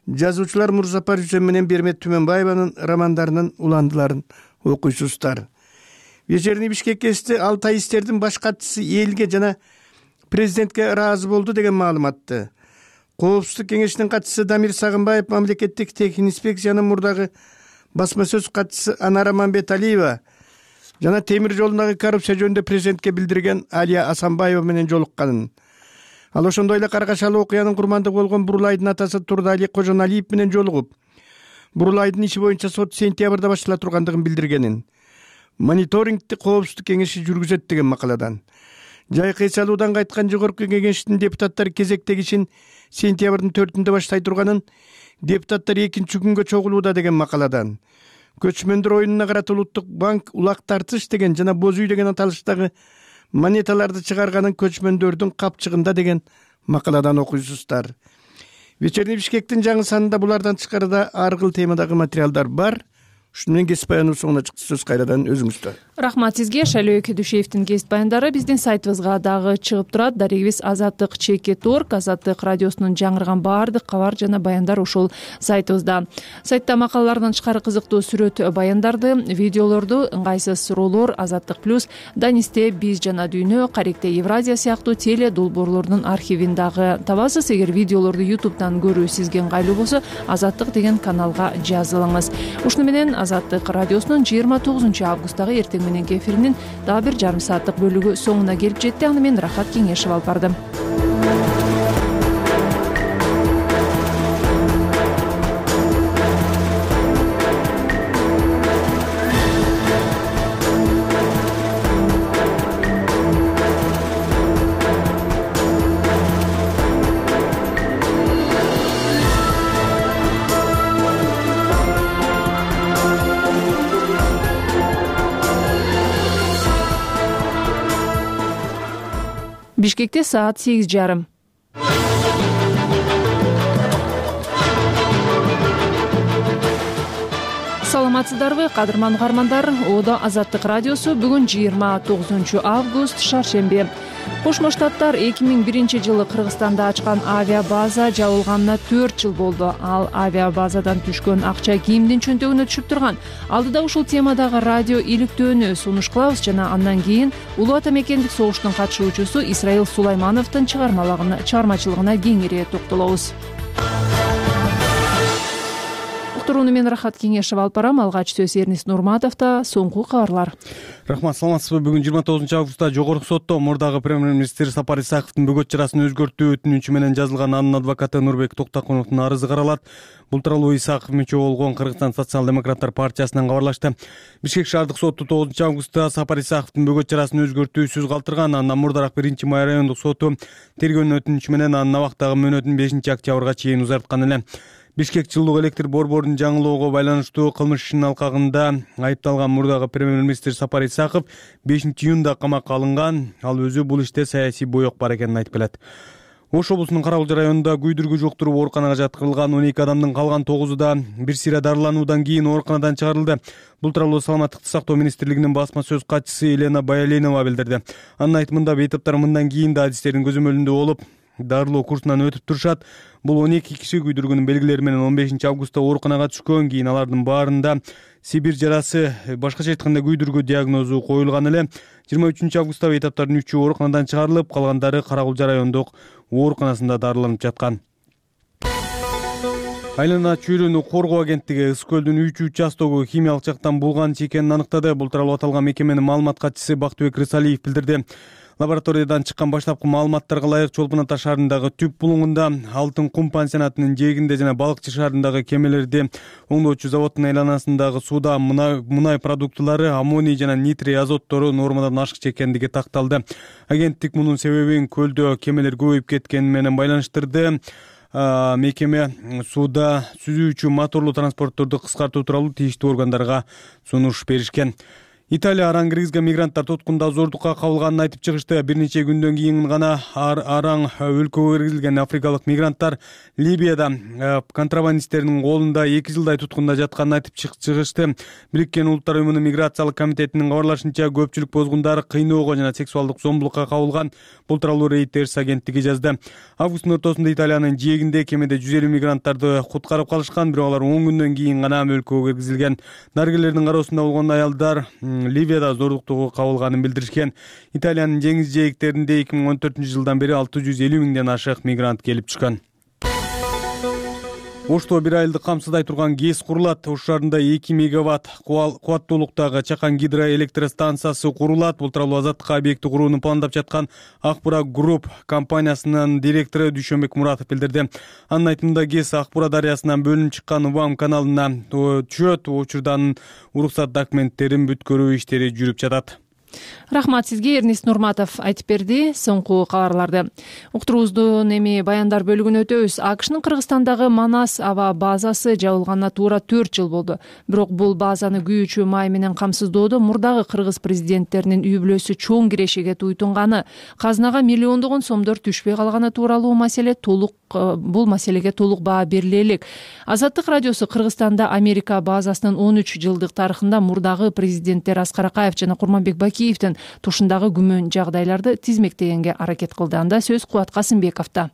жазуучулар Мурзапар Жүзөн менен Бермет Түмөнбаеванын романдарынын уландыларын окуйсуздар. Вечерний Бишкек гезити Алтай истердин баш катчысы элге жана президентке ыраазы болду деген маалыматты. Коопсуздук кеңешинин катчысы Дамир Сагынбаев мамлекеттик техник инспекциянын мурдагы басма сөз катчысы Анара Мамбеталиева жана темир жолундагы коррупция жөнүндө президентке билдирген Алия Асанбаева менен жолукканын. Ал ошондой эле каргашалуу окуянын курмандыгы болгон Бурулайдын атасы Турдали Кожоналиев менен жолугуп, Бурулайдын иши боюнча сот сентябрда баштала тургандыгын билдиргенин. Мониторингти коопсуздук кеңеши жүргүзөт деген макаладан. Жайкы эс алуудан кайткан жогорку кеңештин депутаттары кезектеги ишин сентябрдын 4-ндө баштай турганын, депутаттар 2-нчи күнгө чогулууда деген макаладан. Көчмөндөр оюнуна карата Улуттук банк улак тартыш деген жана боз үй деген аталыштагы монеталарды чыгарганын көчмөндөрдүн капчыгында деген макаладан окуйсуздар. Вечерний Бишкектин жаңы санында булардан тышкары да ар кыл темадагы материалдар бар. Ушуну менен гезит баяныбыз соңуна чыкты. Сөз кайрадан өзүңүздө. Рахмат сизге. Шайлоок Дүйшеевдин гезит баяндары биздин сайтыбызга дагы чыгып турат. Дарегибиз azattikchekit.org. Азаттык радиосунун жаңырган баардык кабар жана баяндар ушул сайтыбызда. Сайтта макалалардан тышкары кызыктуу сүрөт баяндарды, видеолорду, ыңгайсыз суроолор, Азаттык плюс, Данисте биз жана дүйнө, Каректе Евразия сыяктуу теле долбоорлордун архивин дагы табасыз. Эгер видеолорду YouTube'дан көрүү сизге ыңгайлуу болсо, Азаттык деген каналга жазылыңыз. Ушуну менен Азаттык радиосунун 29 августтагы эртең мененки эфиринин дагы бир жарым сааттык бөлүгү соңуна келип жетти. Аны мен Рахат Кеңешев алып бардым. Бишкекте саат 8:30. Саламатсыздарбы, кадырман угармандар? Оодо Азаттык радиосу бүгүн 29 август шаршемби. Кошмо Штаттар 2001-жылы Кыргызстанда ачкан авиабаза жабылганына 4 жыл болду. Ал авиабазадан түшкөн акча кимдин чөнтөгүнө түшүп турган? Алдыда ушул темадагы радио иликтөөнү сунуш кылабыз жана андан кийин Улуу Ата Мекендик согуштун катышуучусу Исраил Сулаймановдун чыгармачылыгына кеңири токтолобуз. Уктурууну мен Рахат Кеңешева алып барам. Алгач сөз Эрнис Нурматовдо. Соңку кабарлар. Рахмат, саламатсызбы? Бүгүн 29 августта Жогорку сотто мурдагы премьер-министр Сапар Исаковдун бөгөт чарасын өзгөртүү өтүнүчү менен жазылган анын адвокаты Нурбек Токтокуновдун арызы каралат. Бул тууралуу Исаков мүчө болгон Кыргызстан социал-демократтар партиясынан кабарлашты. Бишкек шаардык соту 9 августта Сапар Исаковдун бөгөт чарасын өзгөртүүсүз калтырган. Андан мурдараак 1-май райондук соту тергөөнүн өтүнүчү менен анын абактагы мөөнөтүн 5 октябрга чейин узарткан эле. Бишкек жылуулук электр борборун жаңылоого байланыштуу кылмыш ишинин алкагында айыпталган мурдагы премьер-министр Сапар Исаков 5-июнда камакка алынган. Ал өзү бул иште саясий боек бар экенин айтып келет. Ош облусунун Каракулча районунда күйдүргү жуктуруп ооруканага жаткырылган 12 адамдын калган 9-у да бир сыйра дарылануудан кийин ооруканадан чыгарылды. Бул тууралуу Саламаттыкты сактоо министрлигинин басма сөз катчысы Елена Баялинова билдирди. Анын айтымында бейтаптар мындан кийин да адистердин көзөмөлүндө болуп, дарылоо курсунан өтүп турушат. Бул 12 киши күйдүргүнүн белгилери менен 15 августта ооруканага түшкөн. Кийин алардын баарында Сибир жарасы, башкача айтканда күйдүргү диагнозу коюлган эле. 23 августта бейтаптардын 3-ü ооруканадан чыгарылып, калгандары Каракулча райондук ооруканасында дарыланып жаткан. Айлана чөйрөнү коргоо агенттиги Ысык көлдүн 3 участогу химиялык жактан булган экенин аныктады. Бул тууралуу аталган мекеменин маалымат катчысы Бактыбек Рысалиев билдирди. Лабораториядан чыккан баштапкы маалыматтарга ылайык Чолпон Ата шаарындагы Түп булуңунда, Алтын кум пансионатынын жээгинде жана Балыкчы шаарындагы кемелерди оңдоочу заводдун айланасындагы сууда мунай продуктылары, аммоний жана нитрий азоттору нормадан ашык экендиги такталды. Агенттик мунун себебин көлдө кемелер көбөйүп кеткени менен байланыштырды. Мекеме сууда сүзүүчү моторлуу транспортторду кыскартуу тууралуу тийиштүү органдарга сунуш беришкен. Италия араң кыргызга мигранттар туткунда зордукка кабылганын айтып чыгышты. Бир нече күндөн кийин гана араң өлкөгө киргизилген африкалык мигранттар Либияда контрабандисттердин колунда 2 жылдай туткунда жатканын айтып чыгышты. Бириккен Улуттар уюмунун миграциялык комитетинин кабарлашынча, көпчүлүк бозгундар кыйноого жана сексуалдык зомбулукка кабылган. Бул тууралуу Reuters агенттиги жазды. Августтун ортосунда Италиянын жээгинде кемеде 150 мигранттарды куткарып калышкан, бирок алар 10 күндөн кийин гана өлкөгө киргизилген. Дарыгерлердин кароосунда болгон аялдар Ливияда зордуктууга кабылганын билдиришкен. Италиянын деңиз жээктеринде 2014-жылдан бери 650 миңден ашык мигрант келип түшкөн. Ошто бир айылды камсыздай турган ГЭС курулат. Ош шаарында 2 мегаватт кубаттуулуктагы Чакан гидроэлектростанциясы курулат. Бул тууралуу Азаттыкка объекти курууну пландап жаткан Акбура Групп компаниясынын директору Дүйшөнбек Муратов билдирди. Анын айтымында ГЭС Акбура дарыясынан бөлүнүп чыккан УВАМ каналына түшөт. Учурда уруксат документтерин бүткөрүү иштери жүрүп жатат. Рахмат сизге, Эрнис Нурматов айтып берди соңку кабарларды. Уктуруубуздун эми баяндар бөлүгүнө өтөбүз. АКШнын Кыргызстандагы Манас аба базасы жабылганына туура 4 жыл болду. Бирок бул базаны күйүүчү май менен камсыздоодо мурдагы кыргыз президенттеринин үй бүлөсү чоң кирешеге туйтунганы, казынага миллиондогон сомдор түшпөй калганы тууралуу бул маселеге толук баа бериле элек. Азаттык радиосу Кыргызстанда Америка базасынын 13 жылдык тарыхында мурдагы президенттер Аскар Акаев жана Курманбек Бакиевдин тушундагы күмөн жагдайларды тизмектегенге аракет кылды. Анда сөз Кубат Касымбековдо.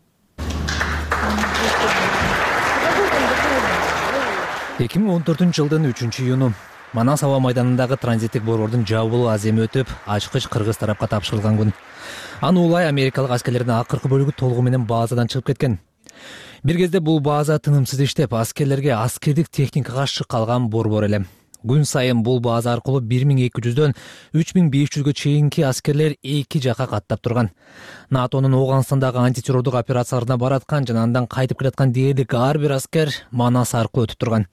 2014-жылдын 3-июну Манас аба майданындагы транзиттик борбордун жабылуу аземи өтүп, ачкыч кыргыз тарапка тапшырылган күн. Аны улай америкалык аскерлердин акыркы бөлүгү толугу менен базадан чыгып кеткен. Бир кезде бул база тынымсыз иштеп, аскерлерге аскердик техникага шык калган борбор эле. Күн сайын бул база аркылуу 1200дөн 3500гө чейинки аскерлер эки жакка каттап турган. НАТОнун Ооганстандагы антитеррордук операцияларына бараткан жана андан кайтып келаткан дээрлик ар бир аскер Манас аркылуу өтүп турган.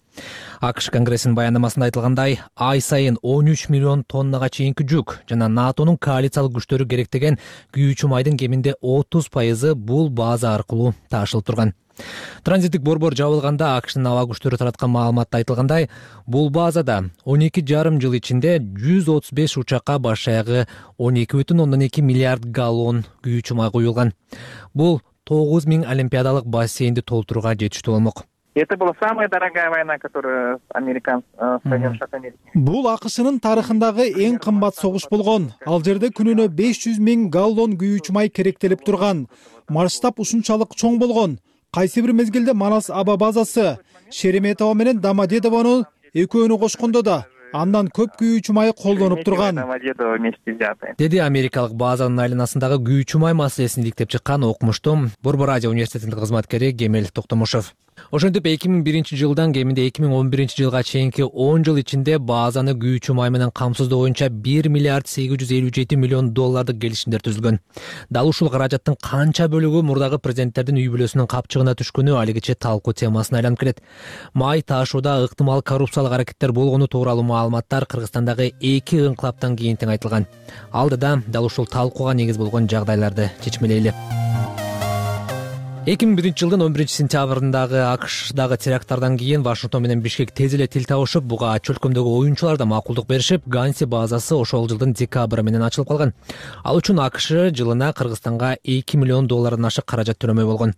АКШ Конгрессинин баяндамасында айтылгандай, ай сайын 13 миллион тоннага чейинки жүк жана НАТОнун коалициялык күчтөрү керектеген күйүүчү майдын кеминде 30% бул база аркылуу ташылып турган. Транзиттик борбор жабылганда АКШнын аба күчтөрү тараткан маалыматта айтылгандай, бул базада 12,5 жыл ичинде 135 учакка баш аягы 12,2 миллиард галлон күйүүчү май куюлган. Бул 9000 олимпиадалык бассейнди толтурууга жетиштүү болмок. Это была самая дорогая война, которую Соединенные Штаты Америки. Бул АКШнын тарыхындагы эң кымбат согуш болгон. Ал жерде күнүнө 500 000 галлон күйүүчү май керектелип турган. Масштаб ушунчалык чоң болгон. Кайсы бир мезгилде Манас аба базасы Шереметово менен Домодедовону экөөнү кошкондо да андан көп күйүүчү май колдонуп турган, деди америкалык базанын айланасындагы күйүүчү май маселесин иликтеп чыккан окумуштуу Борбор радио университетинин кызматкери Кемел Токтомушев. Ошентип 2001 жылдан кеминде 2011 жылга чейинки 10 жыл ичинде базаны күйүүчү май менен камсыздоо боюнча 1 миллиард 857 миллион доллардык келишимдер түзүлгөн. Дал ушул каражаттын канча бөлүгү мурдагы президенттердин үй бүлөсүнүн капчыгына түшкөнү алигиче талкуу темасына айланып келет. Май ташууда ыктымал коррупциялык аракеттер болгону тууралуу маалыматтар Кыргызстандагы 2 ыңкылаптан кийин тең айтылган. Алдыда дал ушул талкууга негиз болгон жагдайларды чечмелейли. 2001 жылдын 11 сентябрындагы АКШдагы теракттардан кийин Вашингтон менен Бишкек тез эле тил табышып, буга чөлкөмдөгү оюнчулар да макулдук беришип, Ганси базасы ошол жылдын декабры менен ачылып калган. Ал үчүн АКШ жылына Кыргызстанга 2 миллион доллардан ашык каражат төлөмөй болгон.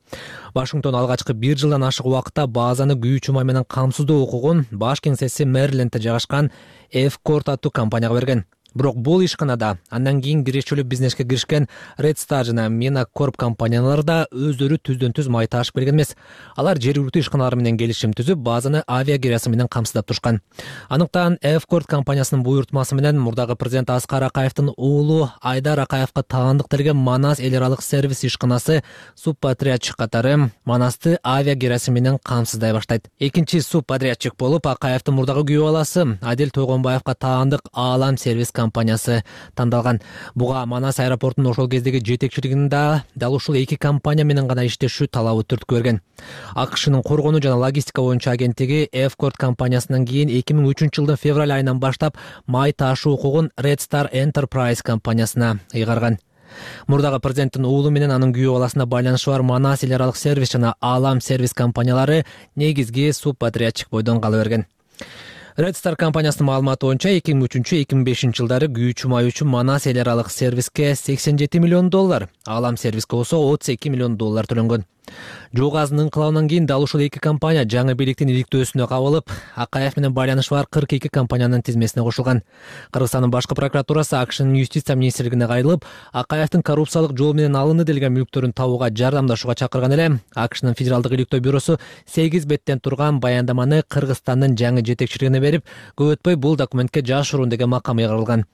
Вашингтон алгачкы 1 жылдан ашык убакытта базаны күйүүчү май менен камсыздоо укугун баш кеңсеси Мэрилендте жайгашкан F-Corp аттуу компанияга берген. Бирок бул ишканада андан кийин кирешчүлүк бизнеске киришкен Red Star жана Mena Corp компаниялары да өздөрү түздөн-түз май ташып келген эмес. Алар жергиликтүү ишканалар менен келишим түзүп, базаны авиа кирасы менен камсыздап турушкан. Аныктан F-Corp компаниясынын буйртмасы менен мурдагы президент Аскар Акаевдин уулу Айдар Акаевга таандык делген Манас эл аралык сервис ишканасы субподрядчик катары Манасты авиа кирасы менен камсыздай баштайт. Экинчи субподрядчик болуп Акаевдин мурдагы күйөө баласы Адил Тойгонбаевга таандык Аалам сервис компаниясы тандалган. Буга Манас аэропортунун ошол кездеги жетекчилигинин да дал ушул эки компания менен гана иштешүү талабы түрткү берген. АКШнын коргонуу жана логистика боюнча агенттиги F-Corp компаниясынан кийин 2003 жылдын февраль айынан баштап май ташуу укугун Red Star Enterprise компаниясына ыйгарган. Мурдагы президенттин уулу менен анын күйөө баласына байланышы бар Манас эл аралык сервис жана Аалам сервис компаниялары негизги субподрядчик бойдон кала берген. Red Star компаниясынын маалыматы боюнча 2003-2005 жылдары күйүүчү май үчүн Манас эл аралык сервиске 87 миллион доллар, Аалам сервиске болсо 32 миллион доллар төлөнгөн. Жоо газынын ыңкылабынан кийин дал ушул эки компания жаңы бийликтин иликтөөсүнө кабылып, Акаев менен байланышы бар 42 компаниянын тизмесине кошулган. Кыргызстандын башкы прокуратурасы АКШнын юстиция министрлигине кайрылып, Акаевдин коррупциялык жол менен алынды делген мүлктөрүн табууга жардамдашууга чакырган эле. АКШнын федералдык иликтөө бюросу 8 беттен турган баяндаманы Кыргызстандын жаңы жетекчилигине берип, көп өтпөй бул документке жашыруун деген макам ыйгарылган.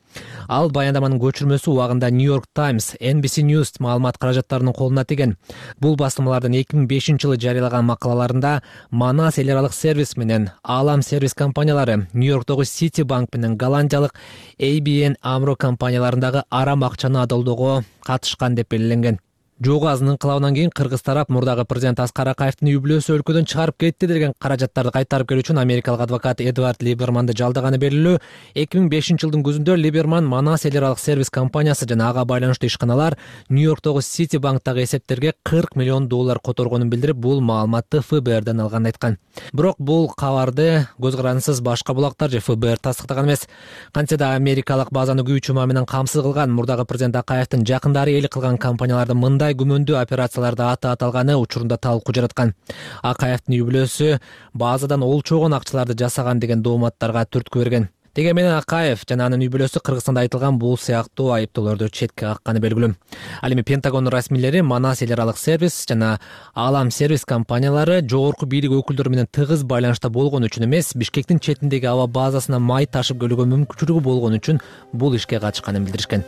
Ал баяндаманын көчүрмөсү убагында New York Times, NBC News маалымат каражаттарынын колуна тийген. Бул басылмалардын 2005 жылы жарыялаган макалаларында Манас эл аралык сервис менен Аалам сервис компаниялары, Нью-Йорктогу Citibank менен голландиялык ABN AMRO компанияларындагы арам акчаны адалдоого катышкан деп белгиленген. Жоо газынын ыңкылабынан кийин кыргыз тарап мурдагы президент Аскар Акаевдин үй бүлөсү өлкөдөн чыгарып кетти деген каражаттарды кайтарып келүү үчүн америкалык адвокат Эдвард Либерманды жалдаганы белгилүү. 2005 жылдын күзүндө Либерман Манас эл аралык сервис компаниясы жана ага байланыштуу ишканалар Нью-Йорктогу Citibanktагы эсептерге 40 миллион доллар которгонун билдирип, бул маалыматты ФБРдан алганын айткан. Бирок бул кабарды көз карандысыз башка булактар же ФБР тастыктаган эмес. Кантсе да америкалык базаны күйүүчү май менен камсыз кылган мурдагы президент Акаевдин жакындары ээлик кылган компаниялардын мындай күмөндүү операцияларда аты аталганы учурунда талкуу жараткан. Акаевдин үй бүлөсү базадан олчогон акчаларды жасаган деген дооматтарга түрткү берген. Деге менен Акаев жана анын үй бүлөсү Кыргызстанда айтылган бул сыяктуу айыптоолорду четке какканы белгилүү. Ал эми Пентагон расмийлери Манас эл аралык сервис жана Аалам сервис компаниялары жогорку бийлик өкүлдөрү менен тыгыз байланышта болгон үчүн эмес, Бишкектин четиндеги аба базасына май ташып келүүгө мүмкүнчүлүгү болгон үчүн бул ишке катышканын билдиришкен.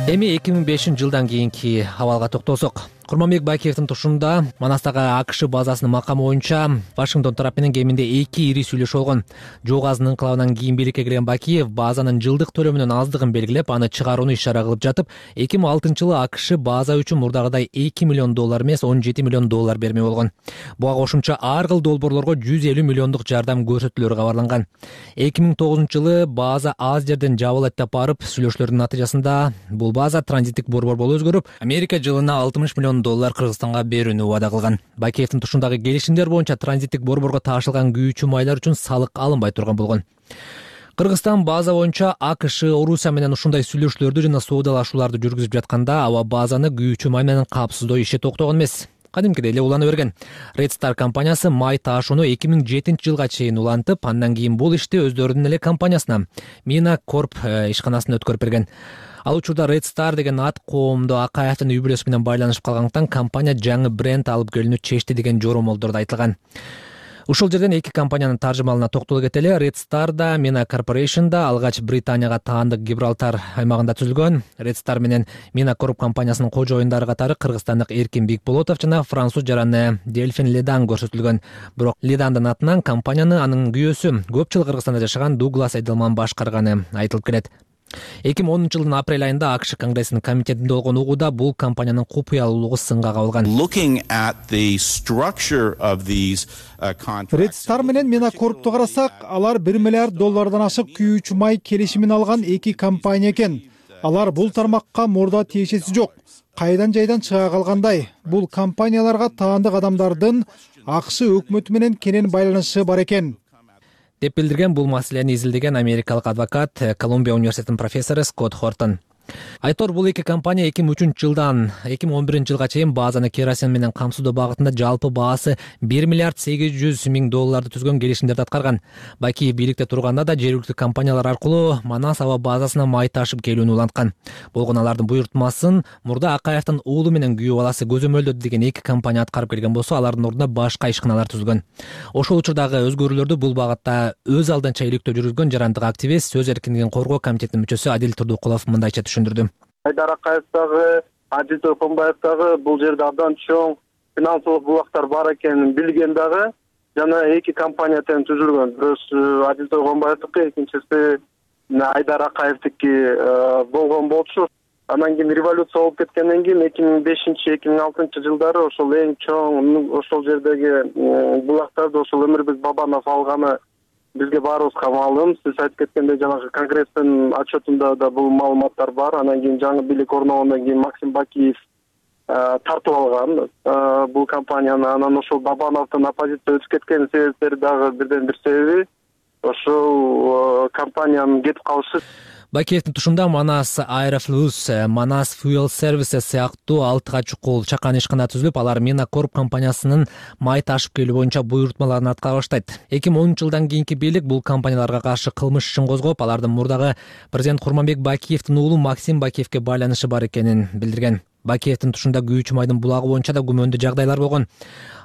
Эми 2005 жылдан кийинки абалга токтолсок. Курманбек Бакиевдин тушунда Манастагы АКШ базасынын макамы боюнча Вашингтон тарап менен кеминде 2 ири сүйлөшүү болгон. Жоо газынын ыңкылабынан кийин бийликке келген Бакиев базанын жылдык төлөмүнүн аздыгын белгилеп, аны чыгарууну ишара кылып жатып, 2006 жылы АКШ база үчүн мурдагыдай 2 миллион доллар эмес, 17 миллион доллар бермей болгон. Буга кошумча ар кыл долбоорлорго 150 миллиондук жардам көрсөтүүлөрү кабарланган. 2009 жылы база аз жерден жабылат деп барып, сүйлөшүүлөрдүн натыйжасында бул база транзиттик борбор болуп өзгөрүп, Америка жылына 60 миллион миллион доллар Кыргызстанга берүүнү убада кылган. Бакиевдин тушундагы келишимдер боюнча транзиттик борборго таашылган күйүүчү майлар үчүн салык алынбай турган болгон. Кыргызстан база боюнча АКШ Орусия менен ушундай сүйлөшүүлөрдү жана соодалашууларды жүргүзүп жатканда аба базаны күйүүчү май менен каапсыздоо иши токтогон эмес. Кадимкидей эле улана берген. Red Star компаниясы май таашууну 2007-жылга чейин улантып, андан кийин бул ишти өздөрүнүн эле компаниясына Mina Corp ишканасына өткөрүп берген. Ал учурда Red Star деген ат коомдо Акаевдин үй бүлөсү менен байланышып калгандыктан компания жаңы бренд алып келүүнү чечти деген жоромолдорду айтылган. Ушул жерден эки компаниянын таржымалына токтоло кетели. Red Star да Mina Corporation да алгач Британияга таандык Гибралтар аймагында түзүлгөн. Red Star менен Mina Corp компаниясынын кожоюндары катары кыргызстандык Эркин Бекболотов жана француз жараны Дельфин Ледан көрсөтүлгөн. Бирок Ледандын атынан компанияны анын күйөөсү көп жыл Кыргызстанда жашаган Дуглас Эделман башкарганы айтылып келет. 2010-жылдын апрель айында АКШ Конгрессинин комитетинде болгон угууда бул компаниянын купуялуулугу сынга кабылган. Red Star менен Mina Corp'ту карасак, алар 1 миллиард доллардан ашык күйүүчү май келишимин алган эки компания экен. Алар бул тармакка мурда тиешеси жок. Кайдан жайдан чыга калгандай, бул компанияларга таандык адамдардын АКШ өкмөтү менен кенен байланышы бар экен деп билдирген бул маселени изилдеген америкалык адвокат Колумбия университетинин профессору Скотт Хортон. Айтор бул эки компания 2003-жылдан 2011-жылга чейин базаны керосин менен камсыздоо багытында жалпы баасы 1 миллиард 800 миң долларды түзгөн келишимдерди аткарган. Бакиев бийликте турганда да жергиликтүү компаниялар аркылуу Манас аба базасына май ташып келүүнү уланткан. Болгон алардын буйртмасын мурда Акаевдин уулу менен күйөө баласы көзөмөлдөдү деген эки компания аткарып келген болсо, алардын ордуна башка ишканалар түзүлгөн. Ошол учурдагы өзгөрүүлөрдү бул багытта өз алдынча иликтөө жүргүзгөн жарандык активист, сөз эркиндигин коргоо комитетинин мүчөсү Адил Турдукулов мындайча түшүндүрдү. Айдар Акаев дагы, Адил Туркунбаев дагы бул жерде абдан чоң финансылык булактар бар экенин билген дагы жана эки компания тең түзүлгөн. Бирөөсү Адил Туркунбаевдики, экинчиси Айдар Акаевдики болгон болчу. Андан кийин революция болуп кеткенден кийин 2005-2006 жылдары ошол эң чоң ошол жердеги булактарды ошол Өмүрбек Бабанов алганы бизге баарыбызга маалым. Сиз айтып кеткендей жанагы Конгресстин отчетунда да бул маалыматтар бар. Анан кийин жаңы бийлик орногондон кийин Максим Бакиев тартып алган бул компанияны. Анан ошол Бабановдун оппозиция өтүп кеткен себептери дагы бирден бир себеби ошол компаниянын кетип калышы. Бакиевдин тушунда Манас Аэрофлюс, Манас Fuel Services сыяктуу 6 чукул чакан ишкана түзүлүп, алар Mina Corp компаниясынын май ташып келүү боюнча буйртмаларын аткара баштайт. 2010-жылдан кийинки бийлик бул компанияларга каршы кылмыш ишин козгоп, алардын мурдагы президент Курманбек Бакиевдин уулу Максим Бакиевке байланышы бар экенин билдирген. Бакиевдин тушунда күйүүчү майдын булагы боюнча да күмөндүү жагдайлар болгон.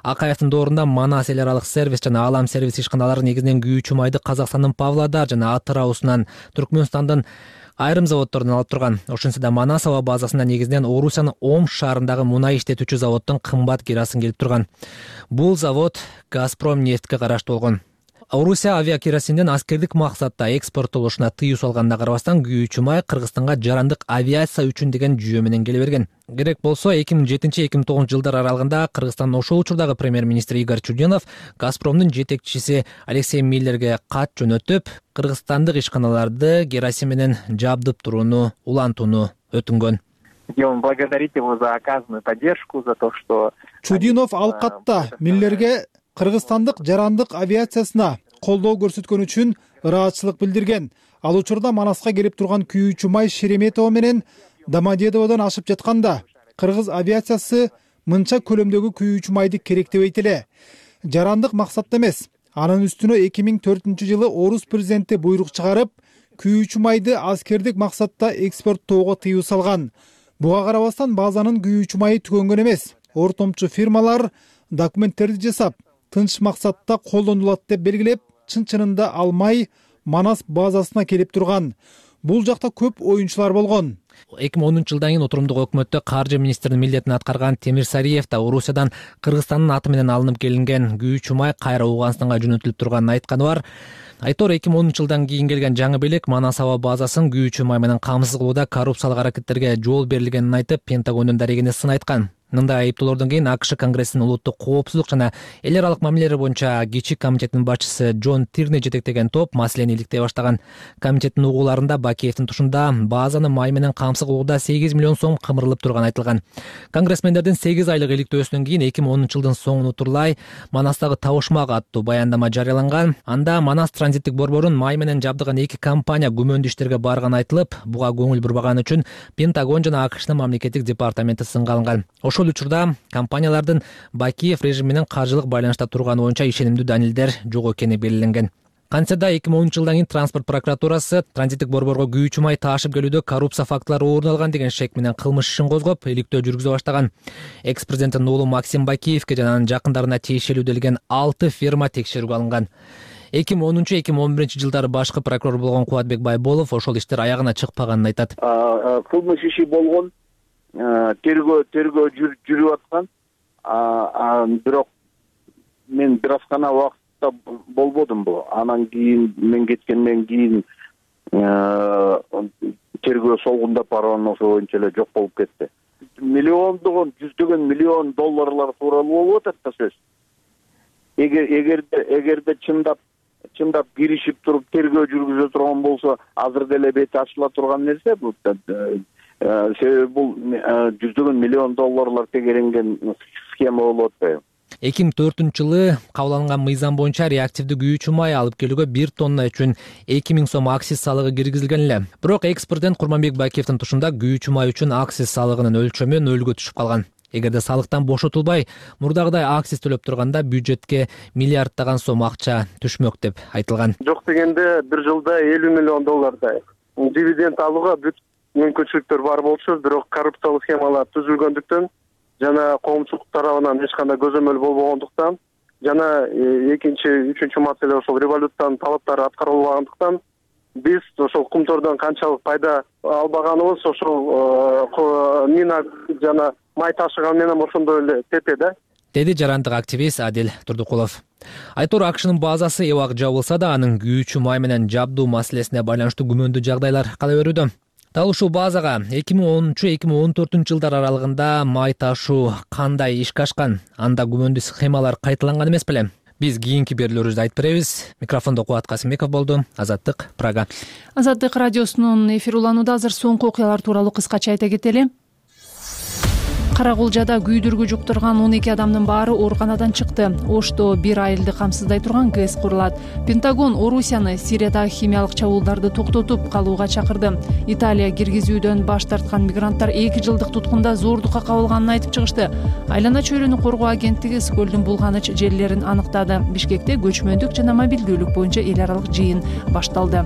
Акаевдин доорунда Манас эл аралык сервис жана Алам сервис ишканалары негизинен күйүүчү майды Казакстандын Павлодар жана Атыраусунан, Түркмөнстандын айрым заводдорунан алып турган. Ошентсе да Манас аба базасында негизинен Орусиянын Омск шаарындагы мунай иштетүүчү заводдон кымбат керосин келип турган. Бул завод Газпром нефтке караштуу болгон. Орусия авиакеросинден аскердик максатта экспорттолушуна тыюу салганына карабастан күйүүчү май Кыргызстанга жарандык авиация үчүн деген жүйө менен келе берген. Керек болсо 2007-2009 жылдар аралыгында Кыргызстандын ошол учурдагы премьер-министри Игорь Чуденов Газпромдун жетекчиси Алексей Миллерге кат жөнөтүп, кыргызстандык ишканаларды керосин менен жабдып турууну улантууну өтүнгөн. Хотим благодарить его за оказанную поддержку, за то, что Чудинов ал катта Миллерге кыргызстандык жарандык авиациясына колдоо көрсөткөн үчүн ыраазычылык билдирген. Ал учурда Манаска келип турган күйүүчү май Шереметово менен Домодедоводон ашып жатканда кыргыз авиациясы мынча көлөмдөгү күйүүчү майды керектебейт эле. Жарандык максатта эмес. Анын үстүнө 2004-жылы орус президенти буйрук чыгарып, күйүүчү майды аскердик максатта экспорттоого тыюу салган. Буга карабастан базанын күйүүчү майы түгөнгөн эмес. Ортомчу фирмалар документтерди жасап, тынч максатта колдонулат деп белгилеп, чын-чынында ал май Манас базасына келип турган. Бул жакта көп оюнчулар болгон. 2010-жылдан кийин отурумдук өкмөттө каржы министринин милдетин аткарган Темир Сариев да Орусиядан Кыргызстандын аты менен алынып келинген күйүүчү май кайра Ооганстанга жөнөтүлүп турганын айтканы бар. Айтор 2010 жылдан кийин келген жаңы бийлик Манас аба базасын күйүүчү май менен камсыз кылууда коррупциялык аракеттерге жол берилгенин айтып, Пентагондун дарегине сын айткан. Мындай айыптоолордон кийин АКШ Конгрессинин улуттук коопсуздук жана эл аралык мамилелер боюнча кичик комитетинин башчысы Джон Тирни жетектеген топ маселени иликтей баштаган. Комитеттин угууларында Бакиевдин тушунда базаны май менен камсыз кылууда 8 миллион сом кымырылып турганы айтылган. Конгрессмендердин 8 айлык иликтөөсүнөн кийин 2010 жылдын соңуна турлай Манастагы табышмак аттуу баяндама жарыяланган. Анда Манас транзиттик борборун май менен жабдыган 2 компания күмөндүү иштерге барганы айтылып, буга көңүл бурбаганы үчүн Пентагон жана АКШнын мамлекеттик департаменти сынга алынган. Ошол учурда компаниялардын Бакиев режим менен каржылык байланышта турганы боюнча ишенимдүү далилдер жок экени белгиленген. Кантсе да 2010 жылдан кийин транспорт прокуратурасы транзиттик борборго күйүүчү май таашып келүүдө коррупция фактылары орун алган деген шек менен кылмыш ишин козгоп, иликтөө жүргүзө баштаган. Экс-президенттин уулу Максим Бакиевке жана анын жакындарына тиешелүү делген 6 фирма текшерүүгө алынган. 2010-2011 жылдары башкы прокурор болгон Кубатбек Байболов ошол иштер аягына чыкпаганын айтат. Кылмыш иши болгон, тергөө жүрүп аткан, бирок мен бир аз гана убакытта болбодум бул. Анан кийин мен кеткенден кийин тергөө солгундап барган, ошо боюнча эле жок болуп кетти. Миллиондогон, жүздөгөн миллион долларлар тууралуу болуп атат да сөз. Эгерде чындап киришип туруп тергөө жүргүзө турган болсо, азыр деле бети ачыла турган нерсе бул. Себеби бул жүздөгөн миллион долларлар тегеренген схема болуп атпайбы? 2004 жылы кабыл алынган мыйзам боюнча реактивдүү күйүүчү май алып келүүгө 1 тонна үчүн 2000 сом акциз салыгы киргизилген эле. Бирок экс-президент Курманбек Бакиевдин тушунда күйүүчү май үчүн акциз салыгынын өлчөмү нөлгө түшүп калган. Эгерде салыктан бошотулбай, мурдагыдай акциз төлөп турганда бюджетке миллиарддаган сом акча түшмөк деп айтылган. Жок дегенде бир жылда 50 миллион доллардай дивиденд алууга бүт мүмкүнчүлүктөр бар болчу, бирок коррупциялык схемалар түзүлгөндүктөн жана коомчулук тарабынан эч кандай көзөмөл болбогондуктан жана экинчи, үчүнчү маселе ошол революциянын талаптары аткарылбагандыктан биз ошол кумтордон канчалык пайда албаганыбыз ошол мина жана май ташыган менен ошондой эле тете да, деди жарандык активист Адил Турдукулов. Айтор АКШнын базасы эбак жабылса да, анын күйүүчү май менен жабдуу маселесине байланыштуу күмөндүү жагдайлар кала берүүдө. Дал ушул базага 2010-2014 жылдар аралыгында май ташуу кандай ишке ашкан? Анда күмөндүү схемалар кайталанган эмес беле? Биз кийинки берүүлөрүбүздө айтып беребиз. Микрофондо Кубат Касымбеков болду. Азаттык, Прага. Азаттык радиосунун эфир уланууда азыр соңку окуялар тууралуу кыскача айта кетели. Карагулжада күйдүргү жуктурган 12 адамдын баары ооруканадан чыкты. Ошто бир айылды камсыздай турган ГЭС курулат. Пентагон Орусияны Сириядагы химиялык чабуулдарды токтотуп калууга чакырды. Италия киргизүүдөн баш тарткан мигранттар 2 жылдык туткунда зордукка кабылганын айтып чыгышты. Айлана чөйрөнү коргоо агенттиги Скөлдүн булганыч жерлерин аныктады. Бишкекте көчмөндүк жана мобилдүүлүк боюнча эл аралык жыйын башталды.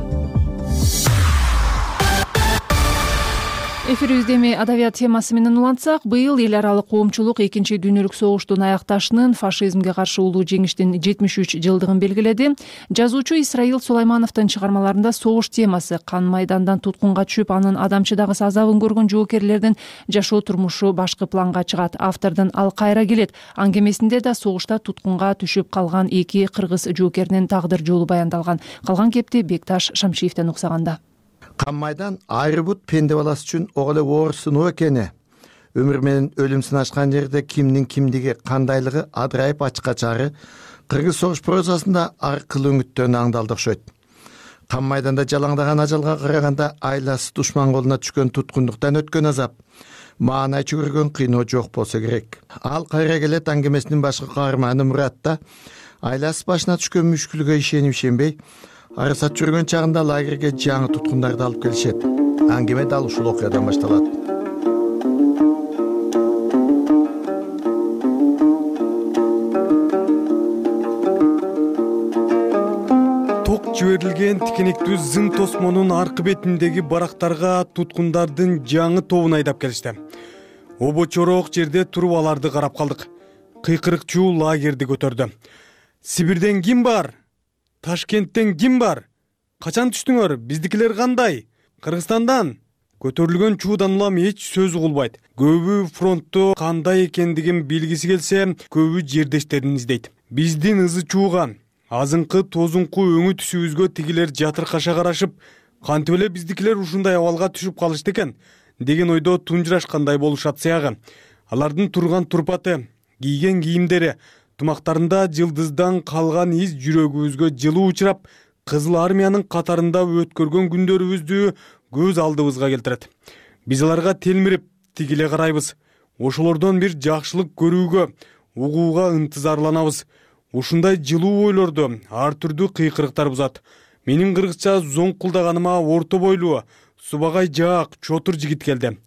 Эфирибизде эми адабият темасы менен улантсак, быйыл эл аралык коомчулук Экинчи дүйнөлүк согуштун аякташынын фашизмге каршы улуу жеңиштин 73 жылдыгын белгиледи. Жазуучу Исраил Сулаймановдун чыгармаларында согуш темасы, кан майдандан туткунга түшүп, анын адамчыдагы азабын көргөн жоокерлердин жашоо турмушу башкы планга чыгат. Автордун «Ал кайра келет» аңгемесинде да согушта туткунга түшүп калган 2 кыргыз жоокеринин тагдыр жолу баяндалган. Калган кепти Бекташ Шамшиевден уксаганда. Кан майдан айры бут пенде баласы үчүн ого эле оор сыноо экени. Өмүр менен өлүм сынашкан жерде кимдин кимдиги кандайлыгы адырайып ачыкка чыгары кыргыз согуш прозасында ар кыл үңүттөн аңдалды окшойт. Кан майданда жалаңдаган ажалга караганда айласы душман колуна түшкөн туткундуктан өткөн азап, маанай чөгөргөн кыйноо жок болсо керек. Ал кайра келет аңгемесинин башкы каарманы Муратта айласы башына түшкөн мүшкүлгө ишенип-ишенбей арысат жүргөн чагында лагерге жаңы туткундарды алып келишет. Аңгеме дал ушул окуядан башталат. Ток жиберилген тикенектүү зың тосмонун аркы бетиндеги барактарга туткундардын жаңы тобун айдап келишти. Обочороок жерде туруп аларды карап калдык. Кыйкырыкчуу лагерди көтөрдү. Сибирден ким бар? Ташкенттен ким бар? Качан түштүңөр? Биздикилер кандай? Кыргызстандан? Көтөрүлгөн чуудан улам эч сөз угулбайт. Көбү фронтту кандай экендигин билгиси келсе, көбү жердештерин издейт. Биздин ызы чууга, азыңкы тозуңку өңү түсүбүзгө тигилер жатыркаша карашып, кантип эле биздикилер ушундай абалга түшүп калышты экен деген ойдо тунжурашкандай болушат сыягы. Алардын турган турпаты, кийген кийимдери, тумактарында жылдыздан калган из жүрөгүбүзгө жылуу учурап, Кызыл армиянын катарында өткөргөн күндөрүбүздү көз алдыбызга келтирет. Биз аларга телмирип, тигиле карайбыз. Ошолордон бир жакшылык көрүүгө, угууга ынтызарланабыз. Ушундай жылуу ойлорду ар түрдүү кыйкырыктар бузат. Менин кыргызча зоңкулдаганыма орто бойлуу, субагай жаак, чотур жигит келди.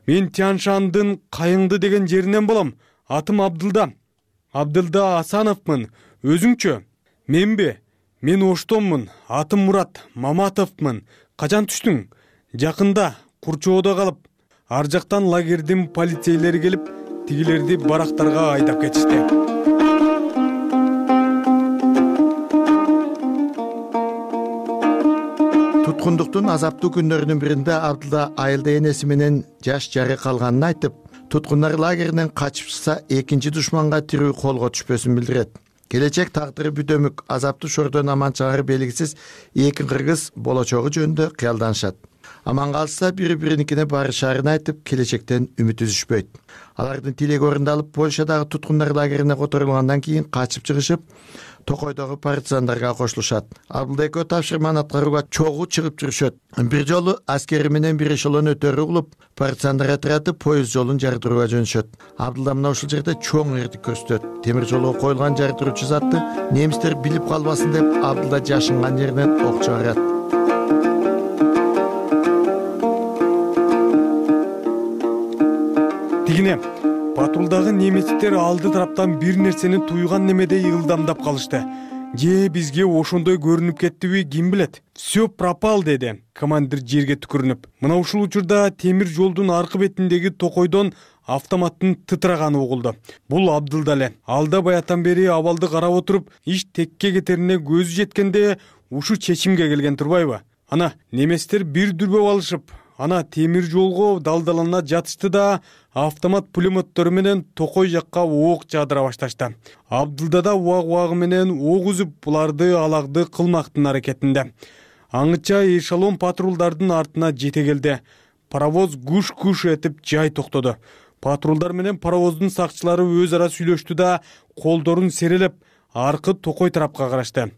Мен Тяншандын Кайыңды деген жеринен болом. Атым Абдылда. Абдылда Асановмун. Өзүңчү? Менби? Мен Оштонмун. Атым Мурат Маматовмун. Качан түштүң? Жакында, Курчоодо калып. Ар жактан лагердин полицейлери келип, тигилерди барактарга айдап кетишти. Туткундуктун азаптуу күндөрүнүн биринде Абдылда айылда энеси менен жаш жары калганын айтып, туткундар лагеринен качып чыкса, экинчи душманга тирүү колго түшпөсүн билдирет. Келечек тагдыры бүтөмүк, азаптуу шордон аман чыгары белгисиз эки кыргыз болочогу жөнүндө кыялданышат. Аман калышса бири-бириникине барышаарын айтып, келечектен үмүт үзүшпөйт. Алардын тилеги орундалып, Польшадагы туткундар лагерине которулгандан кийин качып чыгышып, Токойдогу партизандарга кошулушат. Абдылда экөө тапшырманы аткарууга чогуу чыгып жүрүшөт. Бир жолу аскери менен бир эшелон өтөрү угулуп, партизандар отряды поезд жолун жардырууга жөнөшөт. Абдылда мына ушул жерде чоң эрдик көрсөтөт. Темир жолго коюлган жардыруучу затты немистер билип калбасын деп, Абдылда жашынган жеринен ок чыгарат. Тигине патрулдагы немецтер алды тараптан бир нерсени туйган немедей ылдамдап калышты. Же бизге ошондой көрүнүп кеттиби, ким билет? Все пропал, деди командир жерге түкүрүнүп. Мына ушул учурда темир жолдун аркы бетиндеги токойдон автоматтын тытраганы угулду. Бул Абдылда эле. Алда баятан бери абалды карап отуруп, иш текке кетерине көзү жеткенде ушу чечимге келген турбайбы? Ана немецтер бир дүрбөп алышып, ана темир жолго далдалана жатышты да автомат пулемоттору менен Токой жакка ок жаадыра башташты. Абдылда да уагы менен ок үзүп, буларды алагды кылмактын аракетинде. Аңыча эшелон патрулдардын артына жете келди. Паровоз гуш-гуш этип жай токтоду. Патрулдар менен паровоздун сакчылары өз ара сүйлөштү да, колдорун серелеп, аркы Токой тарапка карашты.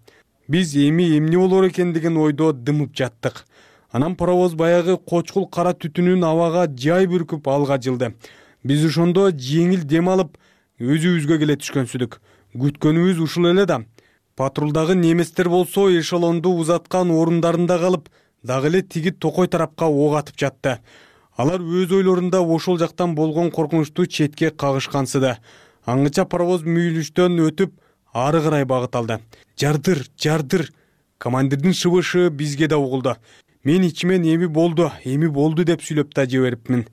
Биз эмне болор экен деген ойдо дымып жаттык. Анан паровоз баягы кочкул кара түтүнүн абага жай бүркүп алга жылды. Биз ошондо жеңил дем алып, өзүбүзгө келе түшкөнсүдүк. Күткөнүбүз ушул эле да. Патрулдагы немецтер болсо эшелонду узаткан орундарында калып, дагы эле тиги Токой тарапка ок атып жатты. Алар өз ойлорунда ошол жактан болгон коркунучту четке кагышкансыды. Аңыча паровоз мүйүлүштөн өтүп, ары карай багыт алды. Жардыр. Командирдин шыбышы бизге да угулду. Мен ичимен эми болду деп сүйлөп да жиберипмин.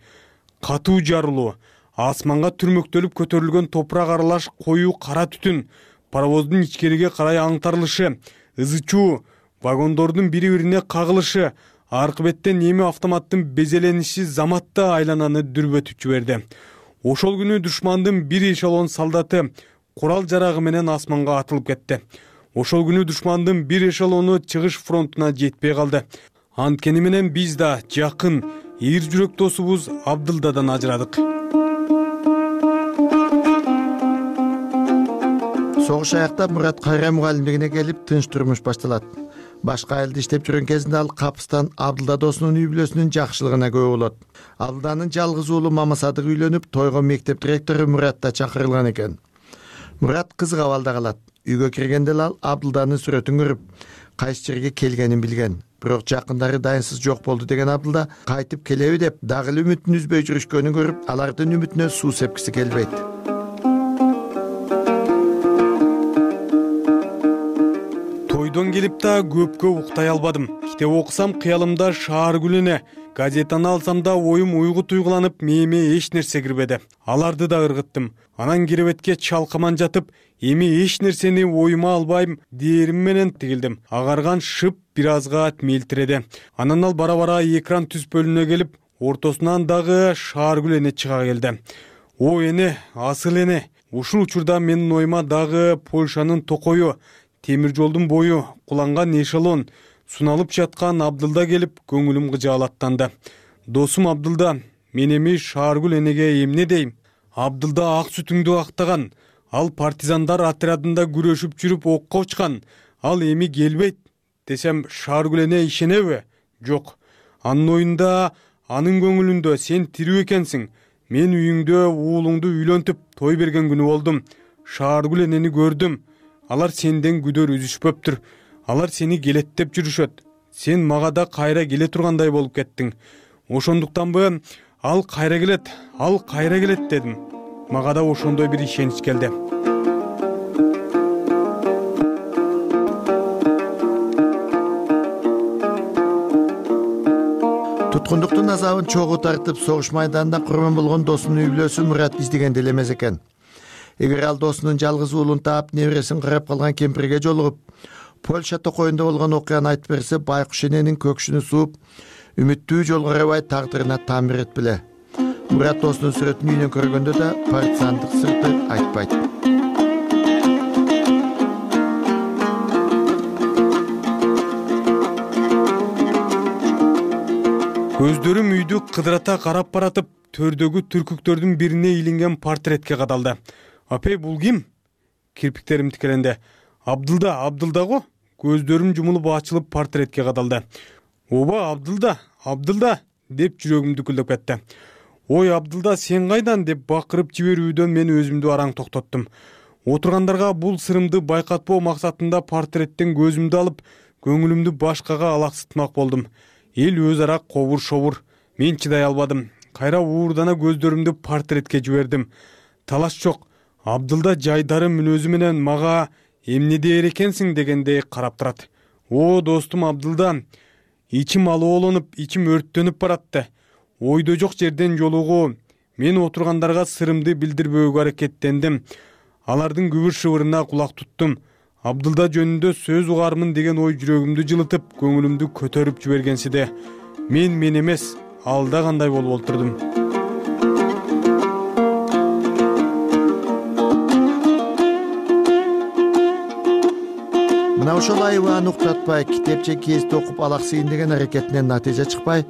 Катуу жарылуу, асманга түрмөктөлүп көтөрүлгөн топурак аралаш коюу кара түтүн, паровоздун ичкериге карай аңтарылышы, ызы чуу, вагондордун бири-бирине кагылышы, аркы беттен эми автоматтын безелениши заматта айлананы дүрбөтүп жиберди. Ошол күнү душмандын бир эшелон солдаты курал жарагы менен асманга атылып кетти. Ошол күнү душмандын бир эшелону чыгыш фронтуна жетпей калды. Анткени менен биз да жакын, эр жүрөк досубуз Абдылдадан ажырадык. Согуш аяктап Мурат кайра мугалимдигине келип, тынч турмуш башталат. Башка айылда иштеп жүргөн кезинде ал капыстан Абдылда досунун үй бүлөсүнүн жакшылыгына күбө болот. Абдылданын жалгыз уулу Мамасадык үйлөнүп, тойго мектеп директору Мурат да чакырылган экен. Мурат кызык абалда калат. Үйгө киргенде ал Абдылданын сүрөтүн көрүп, кайсы жерге келгенин билген. Бирок жакындары дайынсыз жок болду деген Абдылда кайтып келеби деп дагы эле үмүтүн үзбөй жүрүшкөнүн көрүп, алардын үмүтүнө суу сепкиси келбейт. Тойдон келип да көпкө уктай албадым. Китеп окусам кыялымда шаар гүлүнө, газетаны алсам да оюм уйгу туйгуланып, мээме эч нерсе кирбеди. Аларды да ыргыттым. Анан киребетке чалкаман жатып, эми эч нерсени оюма албайм дээрим менен тигилдим. Агарган шып бир азга мелтиреди. Анан ал бара-бара экран түз бөлүнө келип, ортосунан дагы шааргүл эне чыга келди. О эне, асыл эне. Ушул учурда менин оюма дагы Польшанын Токою, темир жолдун бою куланган эшелон суналып жаткан Абдылда келип көңүлүм кыжаалаттанды. Досум Абдылда, мен эми Шааргүл энеге эмне дейм? Абдылда ак сүтүңдү актаган, ал партизандар отрядында күрөшүп жүрүп окко учкан, ал эми келбейт десем Шааргүл эне ишенеби? Жок. Анын оюнда, анын көңүлүндө сен тирүү экенсиң. Мен үйүңдө уулуңду үйлөнтүп той берген күнү болдум. Шааргүл энени көрдүм. Алар сенден күдөр үзүшпөптүр. Алар сени келеттеп жүрүшөт. Сен мага да кайра келе тургандай болуп кеттиң. Ошондуктанбы ал кайра келет дедим. Мага да ошондой бир ишенич келди. Туткундуктун азабын чогуу тартып, согуш майданында курман болгон досунун үй бүлөсүн Мурат издегенде эле эмес экен. Эгер ал досунун жалгыз уулун таап, небересин карап калган кемпирге жолугуп, Польша токойунда болгон окуяны айтып берсе, байкуш эненин көкшүнү сууп, үмүттүү жолго карабай тагдырына таамир этпеле. Мурат досунун сүрөтүн үйүнөн көргөндө да партизандык сырты айтпайт. Көздөрүм үйдү кыдырата карап баратып, төрдөгү түркүктөрдүн бирине илинген портретке кадалды. Апей, бул ким? Кирпиктерим тикеленди. Абдылда го? Көздөрүм жумулуп ачылып портретке кадалды. Оба, Абдылда деп жүрөгүм дүкүлдөп кетти. Ой, Абдылда, сен кайдан деп бакырып жиберүүдөн мен өзүмдү араң токтоттум. Отургандарга бул сырымды байкатпоо максатында портреттен көзүмдү алып, көңүлүмдү башкага алаксытмак болдум. Эл өз ара кобур-шобур. Мен чыдай албадым. Кайра уурдана көздөрүмдү портретке жибердим. Талаш жок. Абдылда жайдары мүнөзү менен мага эмне дээр экенсиң дегендей карап турат. О, достум Абдылда, ичим алоолонуп, ичим өрттөнүп баратты. Ойдо жок жерден жолугуу. Мен отургандарга сырымды билдирбөөгө аракеттендим. Алардын күбүр-шыбырына кулак туттум. Абдылда жөнүндө сөз угармын деген ой жүрөгүмдү жылытып, көңүлүмдү көтөрүп жибергенсиде. Мен эмес, алда кандай болуп олтурдум. Мына ошол айыбаан уктатпай, китепче кести окуп алаксыйын деген аракетинен натыйжа чыкпай,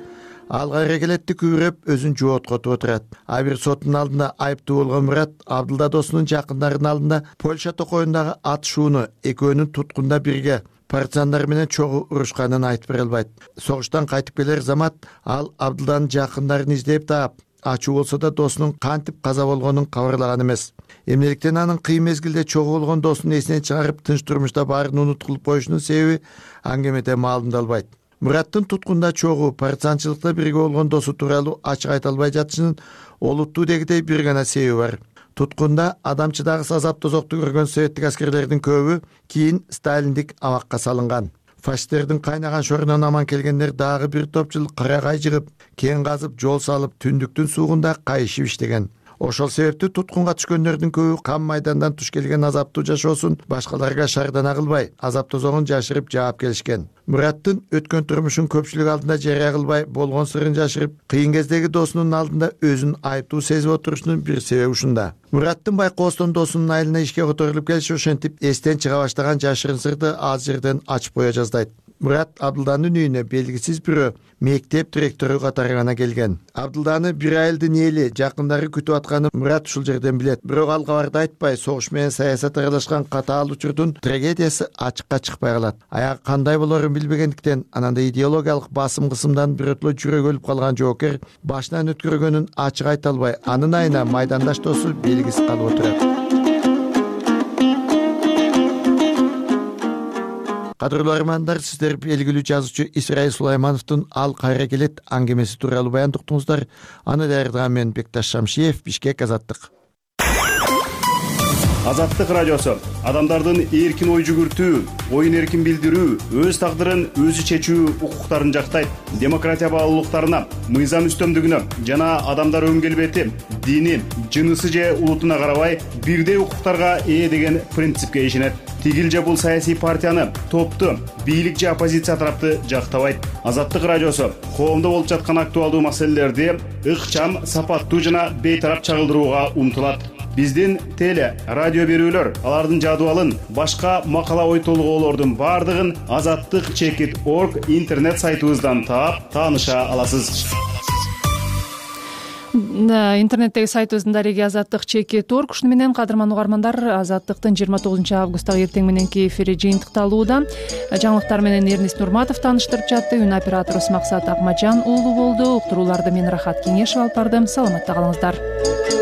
ал кайра келетти күбүрөп өзүн жооткотуп отурат. А бир соттун алдында айыптуу болгон Мурат Абдылда досунун жакындарынын алдында Польша токойундагы атышууну экөөнүн туткунда бирге партизандар менен чогуу урушканын айтып бере албайт. Согуштан кайтып келер замат ал Абдылданын жакындарын издеп таап, ачуу болсо да досунун кантип каза болгонун кабарлаган эмес. Эмнеликтен анын кыйын мезгилде чогуу болгон досун эсинен чыгарып, тынч турмушта баарын унуткулуп коюшунун себеби аңгемеде маалымдалбайт. Мураттын туткунда чогуу партизанчылыкта бирге болгон досу тууралуу ачык айта албай жатышынын олуттуу дегидей бир гана себеби бар. Туткунда адамчыдагыс азап тозокту көргөн советтик аскерлердин көбү кийин сталиндик абакка салынган. Фашисттердин кайнаган шорунан аман келгендер дагы бир топчул карагай жыгып, кен казып, жол салып, түндүктүн суугунда кайышып иштеген. Ошол себептүү туткунга түшкөндөрдүн көбү кам майдандан туш келген азаптуу жашоосун башкаларга шардана кылбай, азап тозогун жашырып жаап келишкен. Мураттын өткөн турмушун көпчүлүк алдында жарыя кылбай, болгон сырын жашырып, кыйын кездеги досунун алдында өзүн айыптуу сезип отурушунун бир себеби ушунда. Мураттын байкоостон досунун айылына ишке которулуп келиши ошентип эстен чыга баштаган жашырын сырды аз жерден ачып кое жаздайт. Мурат Абдылданын үйүнө белгисиз бирөө мектеп директору катары гана келген. Абдылданы бир айылдын эли, жакындары күтүп атканын Мурат ушул жерден билет. Бирок ал кабарды айтпай, согуш менен саясат аралашкан катаал учурдун трагедиясы ачыкка чыкпай калат. Аягы кандай болорун билбегендиктен, ананда идеологиялык басым кысымдан бирөтлө жүрөгү өлүп калган жоокер башынан өткөргөнүн ачык айта албай, анын айына майдандаш досу белгисиз калып отурат. Кадырлуу армандар, сиздер белгилүү жазуучу Исраил Сулаймановдун «Ал кайра келет» аңгемеси тууралуу баяндыктыңыздар. Аны даярдаган мен Бекташ Шамшиев, Бишкек, Азаттык. Азаттык радиосу адамдардын эркин ой жүгүртүү, оюн эркин билдирүү, өз тагдырын өзү чечүү укуктарын жактайт. Демократия баалуулуктарына, мыйзам үстөмдүгүнө жана адамдар өн келбети, дини, жынысы же улутуна карабай бирдей укуктарга ээ деген принципке ишенет. Тигил же бул саясий партияны, топту, бийлик же оппозиция тарапты жактабайт. Азаттык радиосу коомдо болуп жаткан актуалдуу маселелерди ыкчам, сапаттуу жана бейтарап чагылдырууга умтулат. Биздин теле радио берүүлөр, алардын жадыбалын, башка макала ой толгоолордун баардыгын azattik.org интернет сайтыбыздан таап тааныша аласыз. Интернеттеги сайтыбыздын дареги azattik.org. Ушуну менен кадырман угармандар, Азаттыктын 29 августтагы эртең мененки эфири жыйынтыкталууда. Жаңылыктар менен Эрнис Нурматов тааныштырып жатты. Үн операторубуз Максат Акмажан уулу болду. Уктурууларды мен Рахат Кеңешев алып бардым. Саламатта калыңыздар.